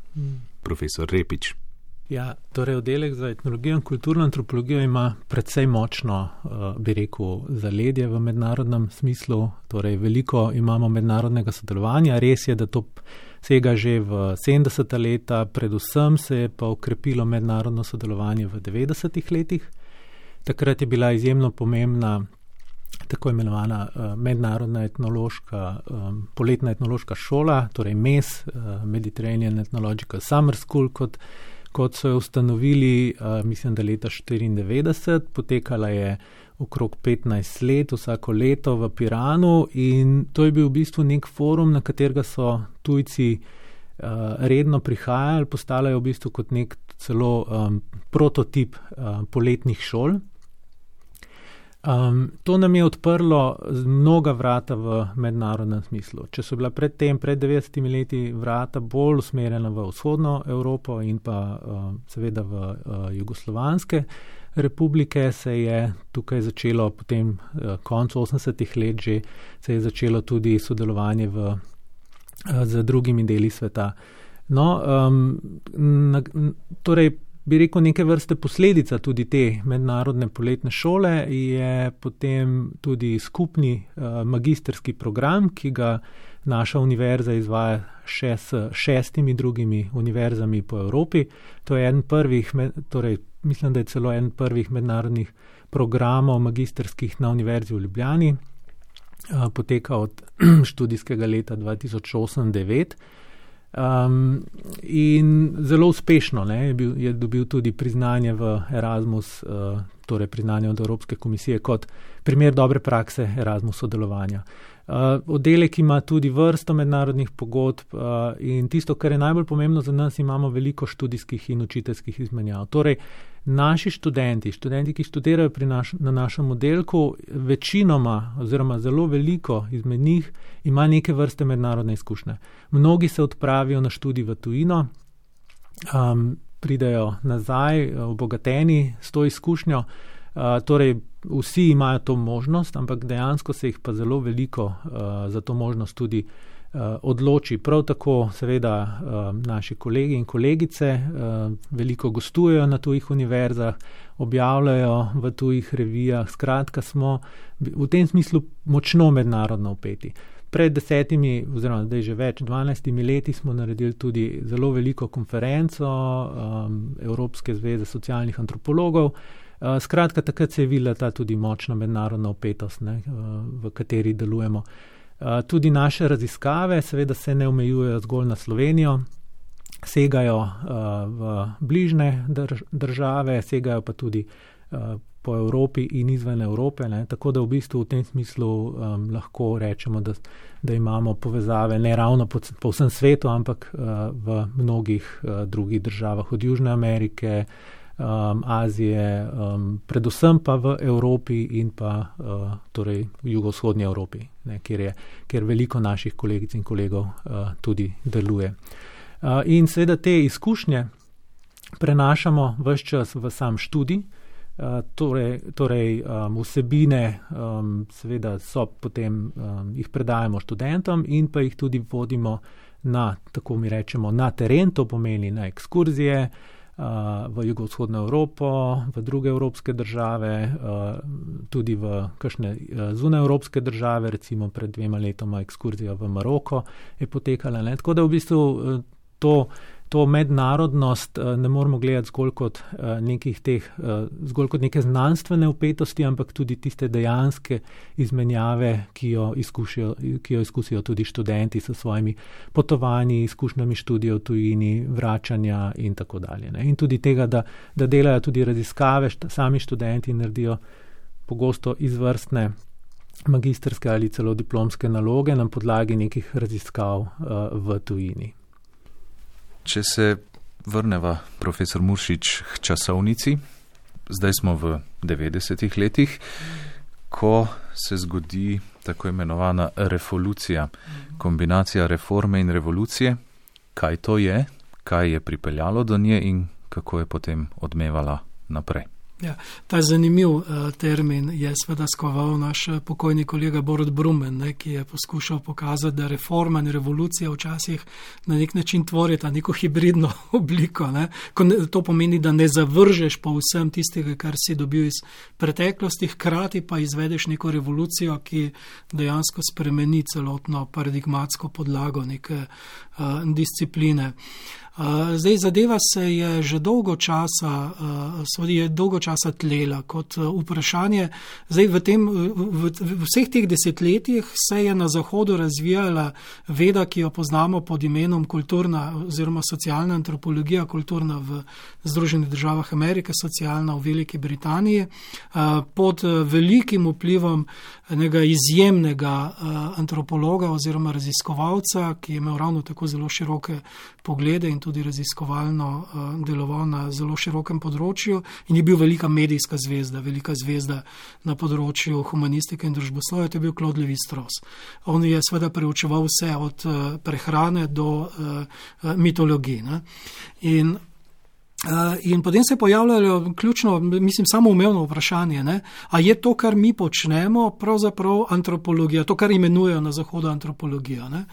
Profesor Repič. Ja, torej oddelek za etnologijo in kulturno antropologijo ima precej močno, bi rekel, zaledje v mednarodnem smislu, torej veliko imamo mednarodnega sodelovanja. Res je, da to sega že v 70. leta, predvsem se je pa okrepilo mednarodno sodelovanje v 90. letih. Takrat je bila izjemno pomembna tako imenovana mednarodna etnološka, poletna etnološka šola, torej MES, Mediterranean Ethnological Summer School, kot so jo ustanovili, mislim, da leta 1994, potekala je okrog 15 let, vsako leto v Piranu, in to je bil v bistvu nek forum, na katerega so tujci redno prihajali, postala je v bistvu kot nek celo prototip poletnih šol. To nam je odprlo mnoga vrata v mednarodnem smislu. Če so bila pred 90 leti vrata bolj usmerjena v vzhodno Evropo in pa seveda v jugoslovanske republike, se je tukaj začelo potem koncu 80. let že, se je začelo tudi sodelovanje z drugimi deli sveta. No, torej, bi rekel, neke vrste posledica tudi te mednarodne poletne šole je potem tudi skupni magistrski program, ki ga naša univerza izvaja še s 6 drugimi univerzami po Evropi. To je eden prvih, torej mislim, da je celo eden prvih mednarodnih programov magistrskih na univerzi v Ljubljani. Poteka od študijskega leta 2008-2009. In zelo uspešno je dobil tudi priznanje v Erasmus torej priznanje od Evropske komisije kot primer dobre prakse Erasmus sodelovanja. Oddelek ima tudi vrsto mednarodnih pogodb in tisto, kar je najbolj pomembno za nas, imamo veliko študijskih in učiteljskih izmenjav. Torej, naši študenti, ki študirajo na našem oddelku, večinoma oziroma zelo veliko izmed njih ima neke vrste mednarodne izkušnje. Mnogi se odpravijo na študij v tujino, pridejo nazaj obogateni s to izkušnjo, torej vsi imajo to možnost, ampak dejansko se jih pa zelo veliko za to možnost tudi odloči. Prav tako seveda naši kolegi in kolegice veliko gostujejo na tujih univerzah, objavljajo v tujih revijah, skratka smo v tem smislu močno mednarodno vpeti. Pred 10 oziroma zdaj že več, 12 leti smo naredili tudi zelo veliko konferenco Evropske zveze socialnih antropologov. Skratka, takrat se je videla ta tudi močna mednarodna vpetost, v kateri delujemo. Tudi naše raziskave seveda se ne omejujejo zgolj na Slovenijo, segajo v bližnje države, segajo pa tudi po Evropi in izven Evrope, tako da v bistvu v tem smislu lahko rečemo, da imamo povezave ne ravno po vsem svetu, ampak v mnogih drugih državah od Južne Amerike, Azije, predvsem pa v Evropi in pa torej v jugovzhodnji Evropi, kjer veliko naših kolegic in kolegov tudi deluje. In seveda te izkušnje prenašamo ves čas v sam študij, torej vsebine seveda so potem, jih predajamo študentom in pa jih tudi vodimo na, tako mi rečemo, na teren, to pomeni na ekskurzije, v jugovzhodno Evropo, v druge evropske države, tudi v kakšne zunajevropske države, recimo pred 2 letoma ekskurzija v Maroko je potekala. Tako da v bistvu to mednarodnost ne moramo gledati zgolj kot neke znanstvene vpetosti, ampak tudi tiste dejanske izmenjave, ki jo izkusijo tudi študenti s svojimi potovanji, izkušnjami študija v tujini, vračanja in tako dalje. In tudi tega, da delajo tudi raziskave, sami študenti naredijo pogosto izvrstne magistrske ali celo diplomske naloge na podlagi nekih raziskav v tujini. Če se vrneva, profesor Muršič, k časovnici, zdaj smo v 90-ih letih, ko se zgodi tako imenovana revolucija, kombinacija reforme in revolucije. Kaj to je, kaj je pripeljalo do nje in kako je potem odmevala naprej? Ja, ta zanimiv termin je seveda skoval naš pokojni kolega Borut Brumen, ki je poskušal pokazati, da reforma in revolucija včasih na nek način tvorita neko hibridno obliko. To pomeni, da ne zavržeš povsem tistega, kar si dobil iz preteklosti, hkrati pa izvedeš neko revolucijo, ki dejansko spremeni celotno paradigmatsko podlago neke discipline. Zdaj zadeva se je že dolgo časa tlela kot vprašanje. Zdaj v vseh teh desetletjih se je na Zahodu razvijala veda, ki jo poznamo pod imenom kulturna oziroma socialna antropologija, kulturna v Združenih državah Amerike, socialna v Veliki Britaniji, pod velikim vplivom enega izjemnega antropologa oziroma raziskovalca, ki je imel ravno tako zelo široke poglede in tudi raziskovalno deloval na zelo širokem področju in je bil velika medijska zvezda, velika zvezda na področju humanistike in družboslovja, to je bil Claude Lévi-Strauss. On je seveda preučeval vse od prehrane do mitologije. In potem se je pojavljalo ključno, samoumevno vprašanje, a je to, kar mi počnemo, pravzaprav antropologija, to, kar imenujejo na Zahodu antropologija.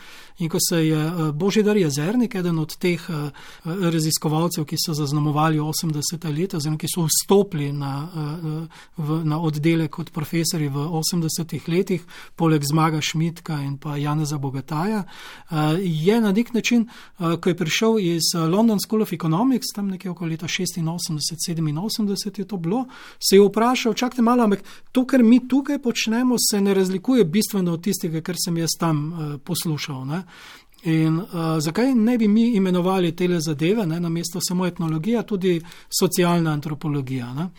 In ko se je Božidar Jezernik, eden od teh raziskovalcev, ki so zaznamovali 80. leta, oziroma ki so vstopili na oddelek kot profesori v 80. letih, poleg Zmaga Šmitka in pa Janeza Bogataja, je na nek način, ko je prišel iz London School of Economics, tam nekje okoli leta 86-87 je to bilo, se je vprašal, čakajte malo, ampak to, kar mi tukaj počnemo, se ne razlikuje bistveno od tistega, kar sem jaz tam poslušal. In zakaj ne bi mi imenovali tele zadeve, namesto samo etnologija, tudi socialna antropologija.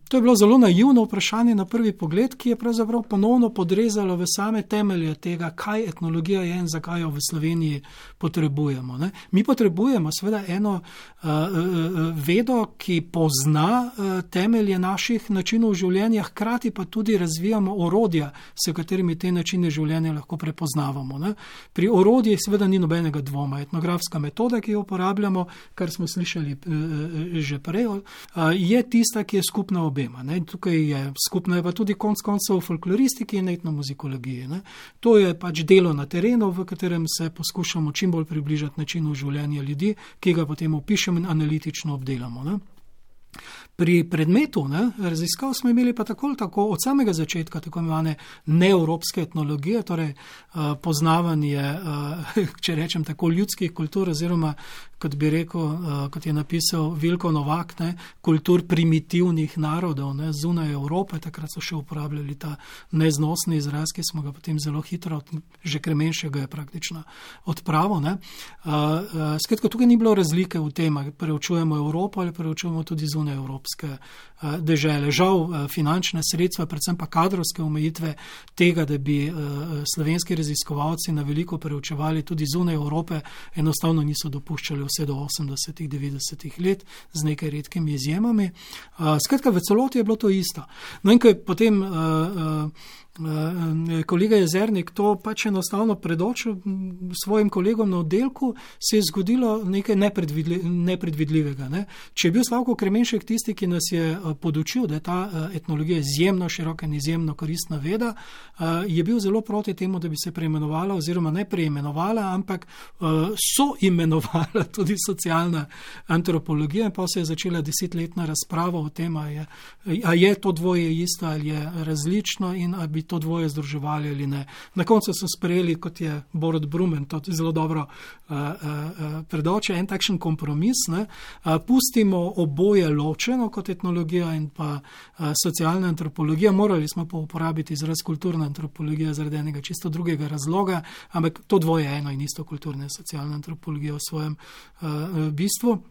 To je bilo zelo naivno vprašanje na prvi pogled, ki je pravzaprav ponovno podrezalo v same temelje tega, kaj etnologija je in zakaj jo v Sloveniji potrebujemo. Ne? Mi potrebujemo seveda eno vedo, ki pozna temelje naših načinov življenja, hkrati pa tudi razvijamo orodja, s katerimi te načine življenja lahko prepoznavamo. Ne? Pri orodjih seveda ni nobenega dvoma. Etnografska metoda, ki jo uporabljamo, kar smo slišali že prej, je tista, ki je skupna obema. Ne? Tukaj je skupna je pa tudi konec koncev v folkloristiki in etnomuzikologiji. Ne? To je pač delo na terenu, v katerem se poskušamo čim bolj približati načinu življenja ljudi, ki ga potem opišemo in analitično obdelamo. Ne? Pri predmetu raziskav smo imeli pa tako od samega začetka tako imenovane neevropske etnologije, torej poznavanje, če rečem tako, ljudskih kultur oziroma, kot bi rekel, kot je napisal Vilko Novak, kultur primitivnih narodov zunaj Evrope. Takrat so še uporabljali ta neznosni izraz, ki smo ga potem zelo hitro, že Kremenšek ga je praktično odpravil. Skratka, tukaj ni bilo razlike v tem, ali preučujemo Evropo ali preučujemo tudi zunaj evropske dežele. Žal finančne sredstva, predvsem pa kadrovske omejitve tega, da bi slovenski raziskovalci na veliko preučevali tudi zunaj Evrope, enostavno niso dopuščali vse do 80-ih, 90-ih let z nekaj redkimi izjemami. Skratka, v celoti je bilo to isto. No in ko je potem kolega Jezernik to pač enostavno predočil svojim kolegom na oddelku, se je zgodilo nekaj nepredvidljivega. Ne? Če je bil Slavko Kremenšek tisti, ki nas je podučil, da je ta etnologija izjemno široka in izjemno koristna veda, je bil zelo proti temu, da bi se preimenovala oziroma ne preimenovala, ampak soimenovala tudi socialna antropologija, in pa se je začela 10-letna razprava o tem, a je to dvoje isto ali je različno in a bi to dvoje združevali ali ne. Na koncu so sprejeli, kot je Borut Brumen to zelo dobro predočil, en takšen kompromis. Pustimo oboje ločeno kot etnologija in pa socialna antropologija. Morali smo pa uporabiti izraz kulturna antropologija zaradi enega čisto drugega razloga, ampak to dvoje je eno in isto, kulturna in socialna antropologija v svojem bistvu.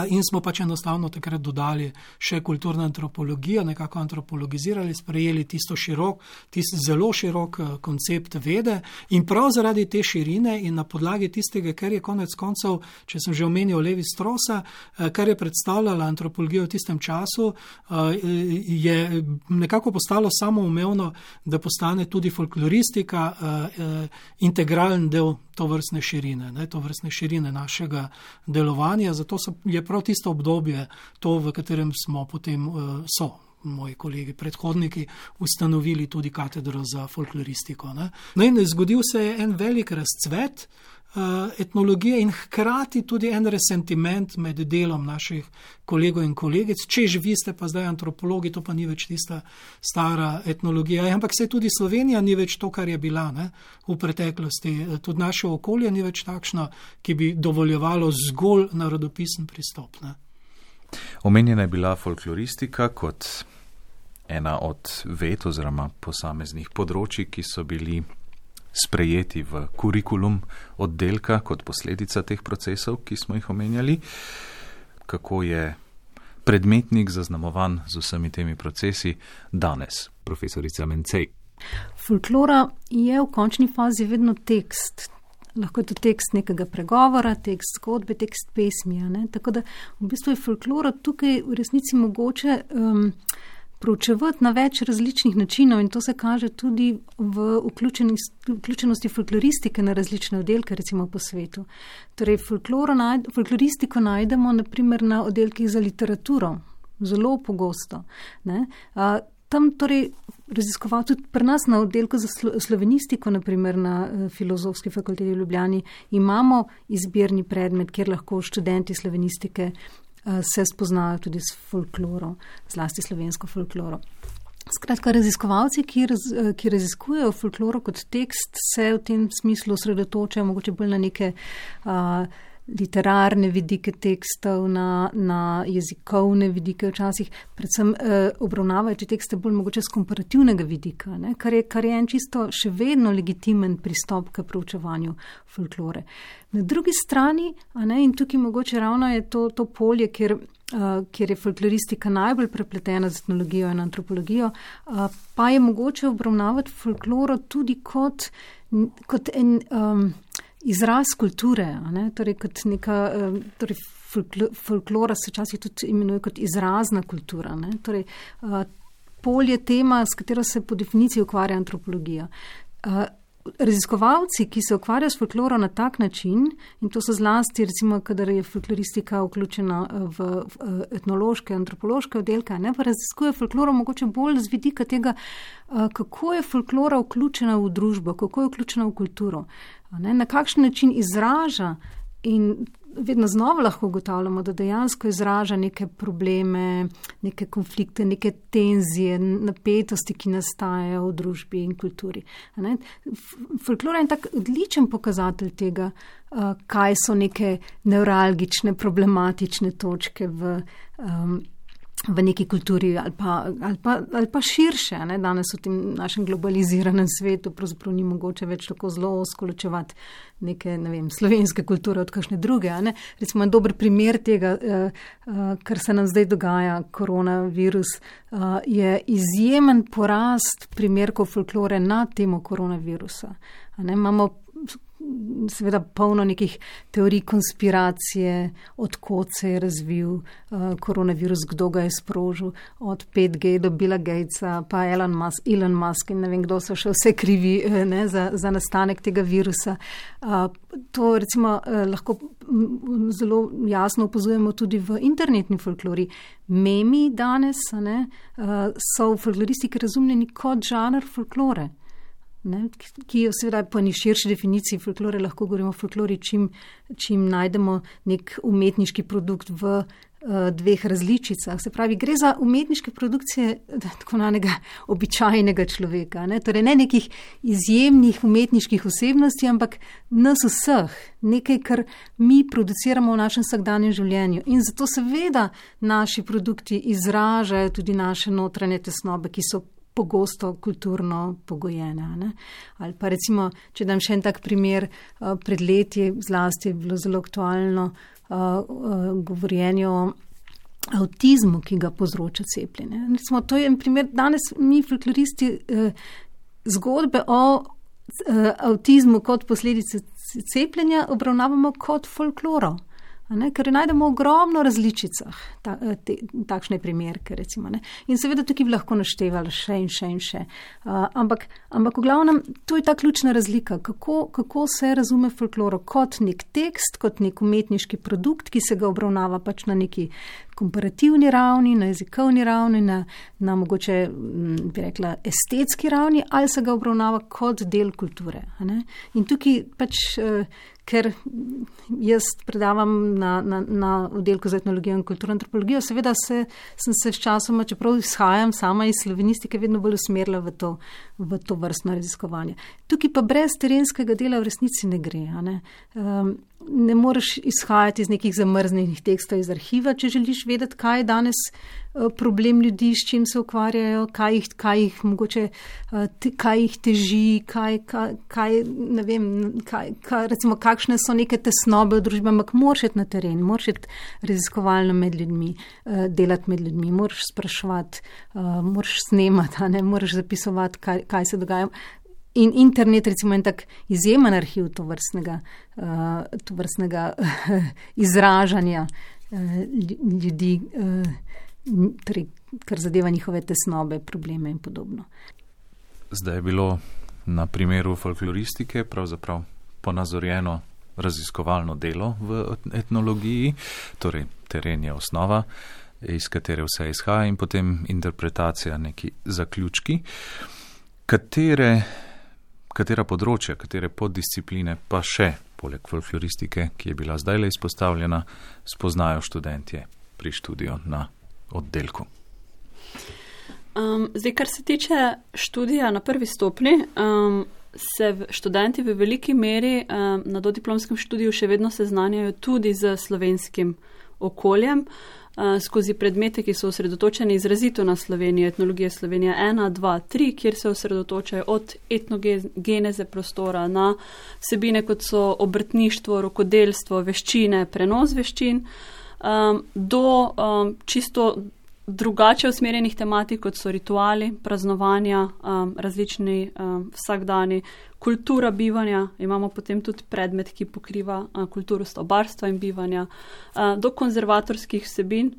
In smo pač enostavno takrat dodali še kulturno antropologijo, nekako antropologizirali, sprejeli tisti zelo širok koncept vede in prav zaradi te širine in na podlagi tistega, kar je konec koncev, če sem že omenil Levi Strosa, kar je predstavljala antropologija v tistem času, je nekako postalo samoumevno, da postane tudi folkloristika integralen del tovrstne širine našega delovanja. Zato je prav tisto obdobje to, v katerem smo potem moji kolegi predhodniki ustanovili tudi katedro za folkloristiko. No in zgodil se je en velik razcvet etnologije in hkrati tudi en resentiment med delom naših kolegov in kolegic. Čež vi ste pa zdaj antropologi, to pa ni več tista stara etnologija. Ampak se tudi Slovenija ni več to, kar je bila v preteklosti. Tudi naše okolje ni več takšno, ki bi dovoljevalo zgolj narodopisen pristop. Omenjena je bila folkloristika kot ena od ved oziroma posameznih področji, ki so bili sprejeti v kurikulum oddelka kot posledica teh procesov, ki smo jih omenjali. Kako je predmetnik zaznamovan z vsemi temi procesi danes, profesorica Mencej? Folklora je v končni fazi vedno tekst. Lahko je to tekst nekega pregovora, tekst zgodbe, tekst pesmi. Tako da v bistvu je folklora tukaj v resnici mogoče proučevati na več različnih načinov in to se kaže tudi v vključenosti folkloristike na različne oddelke, recimo po svetu. Torej, folkloristiko najdemo naprimer na oddelkih za literaturo, zelo pogosto. Tam torej raziskoval tudi pri nas na oddelku za slovenistiko, naprimer na Filozofski fakulteti v Ljubljani, imamo izbirni predmet, kjer lahko študenti slovenistike se spoznajo tudi s folkloro, zlasti slovensko folkloro. Skratka, raziskovalci, ki raziskujejo folkloro kot tekst, se v tem smislu osredotočajo mogoče bolj na neke literarne vidike tekstov, na jezikovne vidike včasih, predvsem obravnavajo te tekste bolj mogoče z komparativnega vidika, kar je en čisto še vedno legitimen pristop k proučevanju folklore. Na drugi strani, in tukaj mogoče ravno je to polje, kjer kjer je folkloristika najbolj prepletena z etnologijo in antropologijo, pa je mogoče obravnavati folkloro tudi kot en izraz kulture, ne? Torej kot neka, torej folklora se včasih tudi imenuje kot izrazna kultura, ne? Torej pol je tema, s katero se po definiciji ukvarja antropologija. Raziskovalci, ki se ukvarjajo s folkloro na tak način, in to so zlasti, recimo, kadar je folkloristika vključena v etnološke, antropološke oddelke, ne, pa raziskuje folkloro mogoče bolj z vidika tega, kako je folklora vključena v družbo, kako je vključena v kulturo, ne, na kakšen način izraža, in vedno znova lahko ugotavljamo, da dejansko izraža neke probleme, neke konflikte, neke tenzije, napetosti, ki nastajajo v družbi in kulturi. Folklora je tak odličen pokazatelj tega, kaj so neke nevralgične, problematične točke v neki kulturi ali pa širše. Ne? Danes v tem našem globaliziranem svetu pravzaprav ni mogoče več tako zelo ozko ločevati neke, ne vem, slovenske kulture od kakšne druge. Ne? Recimo en dober primer tega, kar se nam zdaj dogaja, koronavirus, je izjemen porast primerkov folklore na temo koronavirusa. Ne? Imamo seveda polno nekih teorij konspiracije, odkot se je razvil koronavirus, kdo ga je sprožil, od 5G do Billa Gatesa, pa Elon Musk in ne vem, kdo so še vse krivi, ne, za nastanek tega virusa. To recimo lahko zelo jasno opazujemo tudi v internetni folklori. Memi danes, ne, so v folkloristiki razumljeni kot žanr folklore. Ne, ki je seveda po eni širši definiciji folklore, lahko govorimo o folklori, čim najdemo nek umetniški produkt v dveh različicah. Se pravi, gre za umetniške produkcije tako nanega običajnega človeka. Ne? Torej ne nekih izjemnih umetniških osebnosti, ampak nas vseh. Nekaj, kar mi produciramo v našem vsakdanjem življenju. In zato seveda naši produkti izražajo tudi naše notranje tesnobe, ki so pogosto kulturno pogojene. Ne? Ali pa recimo, če dam še en tak primer, pred leti zlasti je bilo zelo aktualno govorjenje o avtizmu, ki ga povzroča cepljenje. Recimo, to je en primer, danes mi folkloristi zgodbe o avtizmu kot posledice cepljenja obravnavamo kot folkloro. Ne, ker najdemo ogromno različicah takšne primerke, recimo. Ne. In seveda tukaj bi lahko naštevali še in še in še. Ampak v glavnem, to je ta ključna razlika, kako se razume folkloro kot nek tekst, kot nek umetniški produkt, ki se ga obravnava pač na neki komparativni ravni, na jezikovni ravni, na mogoče, bi rekla, estetski ravni, ali se ga obravnava kot del kulture. Ne. In tukaj pač ker jaz predavam na oddelku za etnologijo in kulturno antropologijo, seveda sem se sčasoma, čeprav izhajam sama iz slovenistike, vedno bolj usmerila v to vrstno raziskovanje. Tukaj pa brez terenskega dela v resnici ne gre. Ne moreš izhajati iz nekih zamrznenih tekstov iz arhiva, če želiš vedeti, kaj je danes problem ljudi, s čim se ukvarjajo, kaj jih teži, ne vem, recimo, kakšne so neke tesnobe v družbi, ampak moraš iti na teren, moraš iti raziskovalno med ljudmi, delati med ljudmi, moraš spraševati, moraš snemati, ne, moraš zapisovati, kaj se dogaja. In internet, recimo, en tak izjemen arhiv tovrstnega izražanja ljudi, kar zadeva njihove tesnobe, probleme in podobno. Zdaj je bilo na primeru folkloristike pravzaprav ponazorjeno raziskovalno delo v etnologiji, torej teren je osnova, iz katere vse izhaja, in potem interpretacija, neki zaključki. Katera področja, katere poddiscipline pa še, poleg folkloristike, ki je bila zdajle izpostavljena, spoznajo študentje pri študiju na oddelku? Zdaj, kar se tiče študija na prvi stopnji, se študenti v veliki meri na dodiplomskem študiju še vedno seznanjajo tudi z slovenskim okoljem, skozi predmete, ki so osredotočeni izrazito na Slovenijo, etnologija Slovenija 1, 2, 3, kjer se osredotočajo od etnogeneze prostora na vsebine, kot so obrtništvo, rokodelstvo, veščine, prenos veščin. do čisto drugače usmerjenih tematik, kot so rituali, praznovanja, različni vsakdani, kultura bivanja, imamo potem tudi predmet, ki pokriva kulturo stobarstva in bivanja, do konzervatorskih vsebin.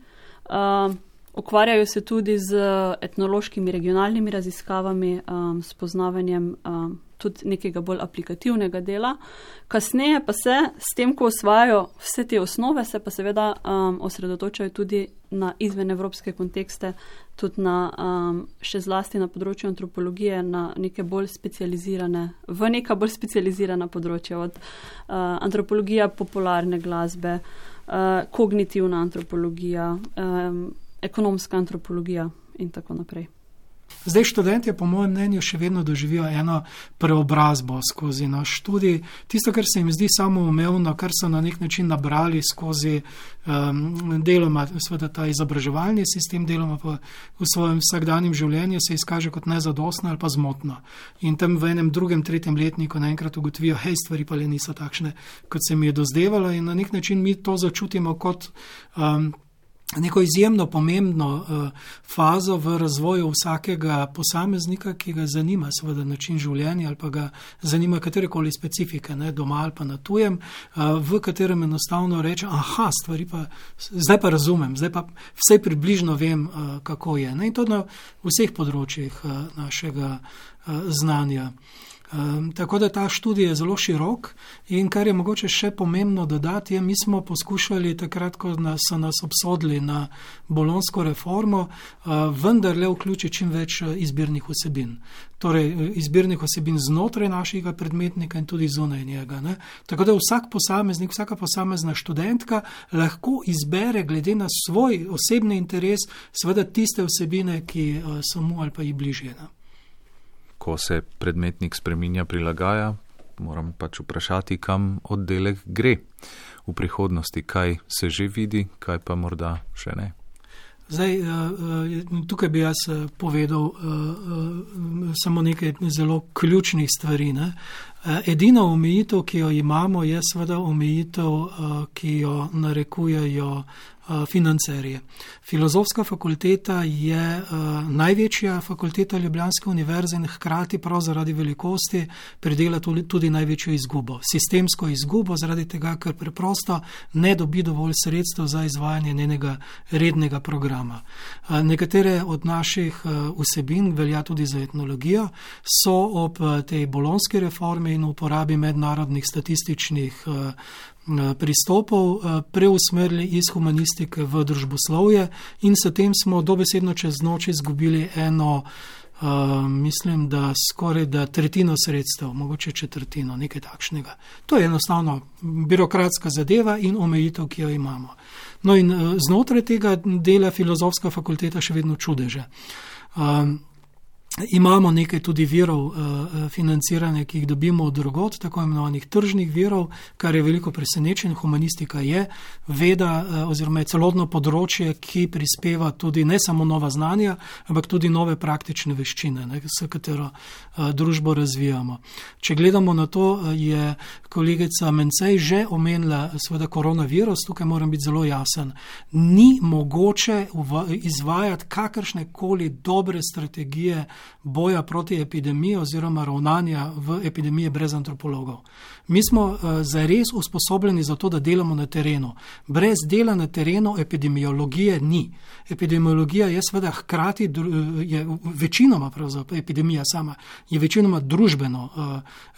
Ukvarjajo se tudi z etnološkimi regionalnimi raziskavami, s poznavanjem tudi nekega bolj aplikativnega dela. Kasneje pa se s tem, ko osvajajo vse te osnove, se pa seveda osredotočajo tudi na izvenevropske kontekste, tudi na, še zlasti na področju antropologije, na neka bolj specializirana področja, od antropologija popularne glasbe, kognitivna antropologija, ekonomska antropologija in tako naprej. Zdaj študentje po mojem mnenju še vedno doživijo eno preobrazbo skozi naš študij. Tisto, kar se jim zdi samoumevno, kar so na nek način nabrali skozi deloma seveda ta izobraževalni sistem, deloma pa v svojem vsakdanjem življenju se izkaže kot nezadostno ali pa zmotno. In tam v enem drugem, tretjem letniku naenkrat ugotovijo, hej, stvari pa le niso takšne, kot se mi je dozdevalo, in na nek način mi to začutimo kot neko izjemno pomembno fazo v razvoju vsakega posameznika, ki ga zanima seveda način življenja ali pa ga zanima katerekoli specifike, ne, doma ali pa na tujem, v katerem enostavno reče, aha, stvari pa, zdaj pa razumem, zdaj pa vsaj približno vem, kako je. Ne, in to na vseh področjih našega znanja. Tako da ta študij je zelo širok, in kar je mogoče še pomembno dodati, je, mi smo poskušali takrat, ko so nas obsodili na bolonjsko reformo, vendarle vključiti čim več izbirnih vsebin. Torej, izbirnih vsebin znotraj našega predmetnika in tudi zunaj njega. Ne? Tako da vsak posameznik, vsaka posamezna študentka lahko izbere glede na svoj osebni interes seveda tiste vsebine, ki so mu ali pa ji bližje. Ne? Ko se predmetnik spreminja, prilagaja, moram pač vprašati, kam oddelek gre v prihodnosti, kaj se že vidi, kaj pa morda še ne. Zdaj, tukaj bi jaz povedal samo nekaj zelo ključnih stvari. Ne? Edina omejitev, ki jo imamo, je seveda omejitev, ki jo narekujejo financerje. Filozofska fakulteta je največja fakulteta Ljubljanske univerze in hkrati prav zaradi velikosti pridela tudi največjo izgubo. Sistemsko izgubo zaradi tega, ker preprosto ne dobi dovolj sredstev za izvajanje njenega rednega programa. Nekatere od naših vsebin, velja tudi za etnologijo, so ob tej bolonjski reformi in uporabi mednarodnih statističnih pristopov preusmerili iz humanistike v družboslovje, in s tem smo dobesedno čez noč izgubili eno, mislim, da skoraj da tretjino sredstev, mogoče četrtino, nekaj takšnega. To je enostavno birokratska zadeva in omejitev, ki jo imamo. No in znotraj tega dela filozofska fakulteta še vedno čudeže. Imamo nekaj tudi virov financiranja, ki jih dobimo od drugod, tako imenovanih tržnih virov, kar je veliko presenečen. Humanistika je veda oziroma je celotno področje, ki prispeva tudi ne samo nova znanja, ampak tudi nove praktične veščine, ne, s katero družbo razvijamo. Če gledamo na to, je kolegica Mencej že omenila seveda koronavirus, tukaj moram biti zelo jasen. Ni mogoče izvajati kakršne koli dobre strategije boja proti epidemiji oziroma ravnanja v epidemiji brez antropologov. Mi smo zares usposobljeni za to, da delamo na terenu. Brez dela na terenu epidemiologije ni. Epidemiologija je seveda hkrati, je večinoma pravzaprav epidemija sama, je večinoma družbeno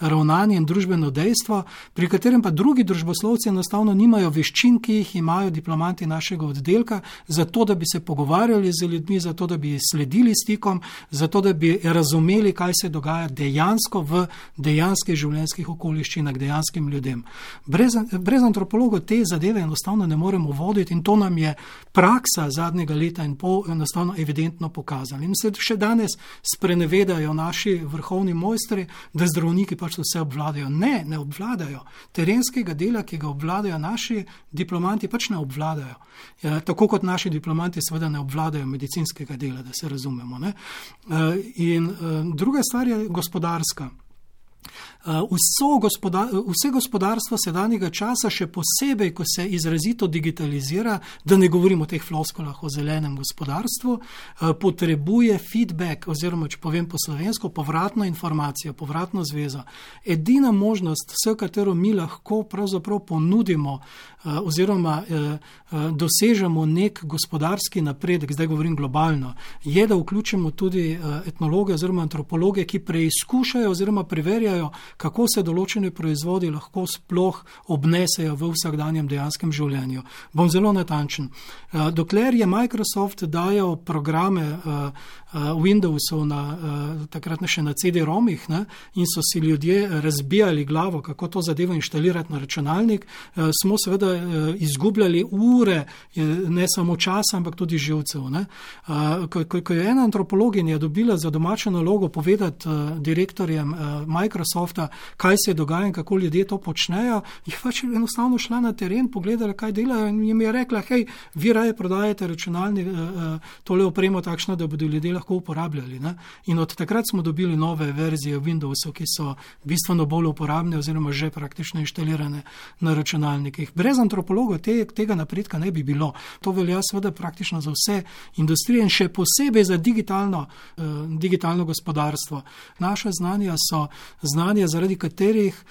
ravnanje in družbeno dejstvo, pri katerem pa drugi družboslovci enostavno nimajo veščin, ki jih imajo diplomanti našega oddelka, zato da bi se pogovarjali z ljudmi, zato da bi sledili stikom, zato da bi razumeli, kaj se dogaja dejansko v dejanskih življenjskih okoliščinah, dejanskim ljudem. Brez antropologov te zadeve enostavno ne moremo voditi, in to nam je praksa zadnjega leta in pol enostavno evidentno pokazala. In se še danes sprenevedajo naši vrhovni mojstri, da zdravniki pač vse obvladajo. Ne obvladajo. Terenskega dela, ki ga obvladajo naši diplomanti, pač ne obvladajo. Tako kot naši diplomanti seveda ne obvladajo medicinskega dela, da se razumemo. Ne? In druga stvar je gospodarska. Vse gospodarstvo sedanjega časa, še posebej, ko se izrazito digitalizira, da ne govorimo o teh floskulah o zelenem gospodarstvu, potrebuje feedback, oziroma, če povem po slovensko, povratno informacijo, povratno zvezo. Edina možnost, s katero mi lahko pravzaprav ponudimo oziroma dosežemo nek gospodarski napredek, zdaj govorim globalno, je, da vključimo tudi etnologe oziroma antropologe, ki preizkušajo oziroma preverjajo, kako se določene proizvodi lahko sploh obnesejo v vsakdanjem dejanskem življenju. Bom zelo natančen. Dokler je Microsoft dajal programe Windowsov takrat še na CD-romih, in so si ljudje razbijali glavo, kako to zadevo inštalirati na računalnik, smo seveda izgubljali ure, ne samo časa, ampak tudi živcev. Ko je ena antropologinja dobila za domačo nalogo povedati direktorjem Microsofta, kaj se dogaja in kako ljudje to počnejo, jih pač enostavno šla na teren, pogledala, kaj delajo in jim je rekla, hej, vi raje prodajate računalnik, tole opremo takšno, da bodo ljudje lahko uporabljali. In od takrat smo dobili nove verzije Windowsov, ki so bistveno bolj uporabne oziroma že praktično inštalirane na računalnikih. Brez antropologov tega napredka ne bi bilo. To velja seveda praktično za vse industrije in še posebej za digitalno gospodarstvo. Naša znanja so znanja, zaradi katerih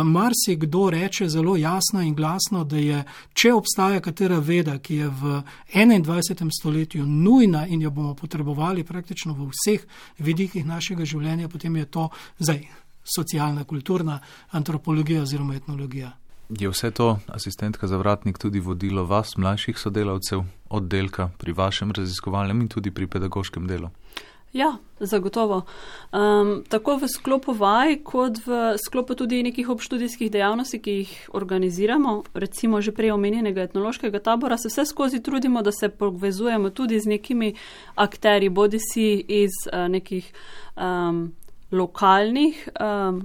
marsikdo reče zelo jasno in glasno, da je, če obstaja katera veda, ki je v 21. stoletju nujna in jo bomo potrebovali praktično v vseh vidikih našega življenja, potem je to zdaj socialna, kulturna antropologija oziroma etnologija. Je vse to, asistentka Zavratnik, tudi vodilo vas, mlajših sodelavcev, oddelka pri vašem raziskovalnem in tudi pri pedagoškem delu? Ja, zagotovo. Tako v sklopu vaj, kot v sklopu tudi nekih obštudijskih dejavnosti, ki jih organiziramo, recimo že prej omenjenega etnološkega tabora, se vse skozi trudimo, da se povezujemo tudi z nekimi akterji, bodisi iz nekih lokalnih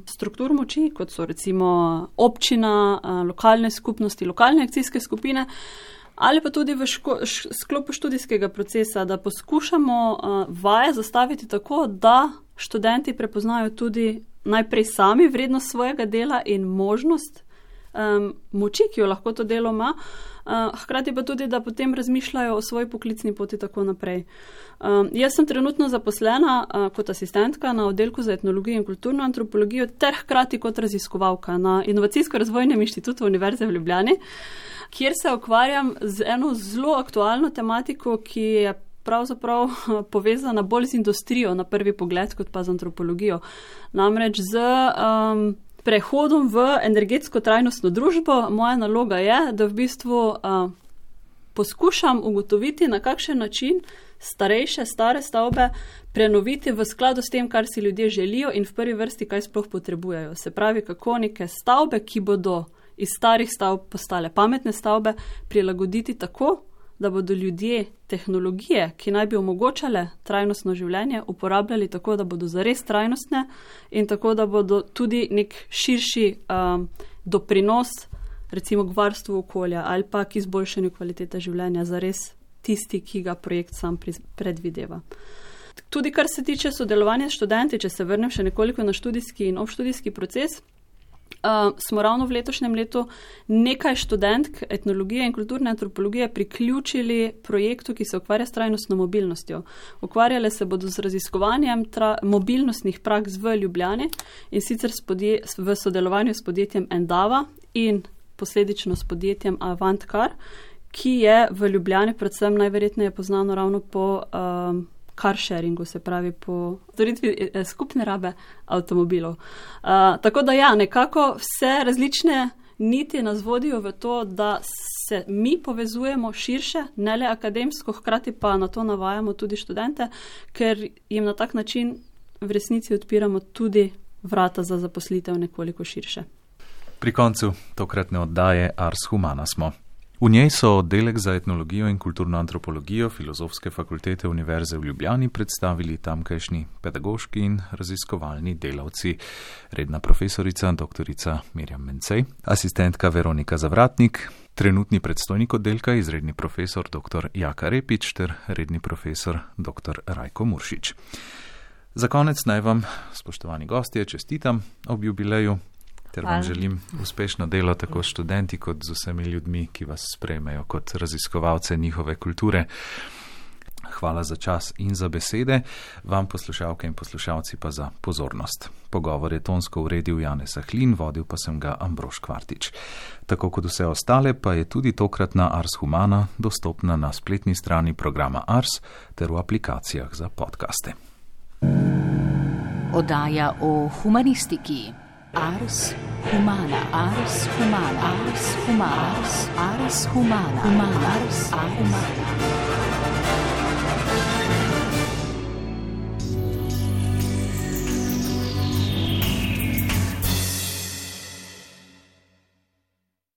struktur moči, kot so recimo občina, lokalne skupnosti, lokalne akcijske skupine, ali pa tudi v sklopu študijskega procesa, da poskušamo vaje zastaviti tako, da študenti prepoznajo tudi najprej sami vrednost svojega dela in možnost moči, ki jo lahko to delo ima, hkrati pa tudi, da potem razmišljajo o svoji poklicni poti tako naprej. Jaz sem trenutno zaposlena kot asistentka na oddelku za etnologijo in kulturno antropologijo ter hkrati kot raziskovalka na Inovacijsko-razvojnem inštitutu Univerze v Ljubljani, kjer se ukvarjam z eno zelo aktualno tematiko, ki je pravzaprav povezana bolj z industrijo na prvi pogled, kot pa z antropologijo. Namreč z prehodom v energetsko trajnostno družbo moja naloga je, da v bistvu poskušam ugotoviti, na kakšen način stare stavbe prenoviti v skladu s tem, kar si ljudje želijo in v prvi vrsti, kaj sploh potrebujejo. Se pravi, kako neke stavbe, ki bodo iz starih stavb postale pametne stavbe, prilagoditi tako, da bodo ljudje tehnologije, ki naj bi omogočale trajnostno življenje, uporabljali tako, da bodo zares trajnostne in tako, da bodo tudi nek širši doprinos recimo k varstvu okolja ali pa k izboljšanju kvalitete življenja zares tisti, ki ga projekt sam predvideva. Tudi kar se tiče sodelovanja s študenti, če se vrnem še nekoliko na študijski in obštudijski proces, smo ravno v letošnjem letu nekaj študentk etnologije in kulturne antropologije priključili projektu, ki se ukvarja s trajnostno mobilnostjo. Ukvarjale se bodo z raziskovanjem mobilnostnih praks v Ljubljani in sicer v sodelovanju s podjetjem Endava in posledično s podjetjem Avantcar, ki je v Ljubljani predvsem najverjetneje poznano ravno po car sharingu, se pravi po storitvi skupne rabe avtomobilov. Tako da ja, nekako vse različne niti nas vodijo v to, da se mi povezujemo širše, ne le akademsko, hkrati pa na to navajamo tudi študente, ker jim na tak način v resnici odpiramo tudi vrata za zaposlitev nekoliko širše. Pri koncu tokratne oddaje Ars Humana smo. V njej so oddelek za etnologijo in kulturno antropologijo Filozofske fakultete Univerze v Ljubljani predstavili tamkajšnji pedagoški in raziskovalni delavci, redna profesorica doktorica Mirjam Mencej, asistentka Veronika Zavratnik, trenutni predstojnik oddelka, izredni profesor dr. Jaka Repič ter redni profesor dr. Rajko Muršič. Za konec naj vam, spoštovani gostje, čestitam ob jubileju ter vam želim uspešno delo tako s študenti kot z vsemi ljudmi, ki vas sprejmejo kot raziskovalce njihove kulture. Hvala za čas in za besede, vam poslušalke in poslušalci pa za pozornost. Pogovor je tonsko uredil Janez Ahlin, vodil pa sem ga Ambrož Kvartič. Tako kot vse ostale pa je tudi tokratna Ars Humana dostopna na spletni strani programa Ars ter v aplikacijah za podcaste. Oddaja o humanistiki. Ars Humana. Ars Humana. Ars Humana. Ars Humana. Ars Humana.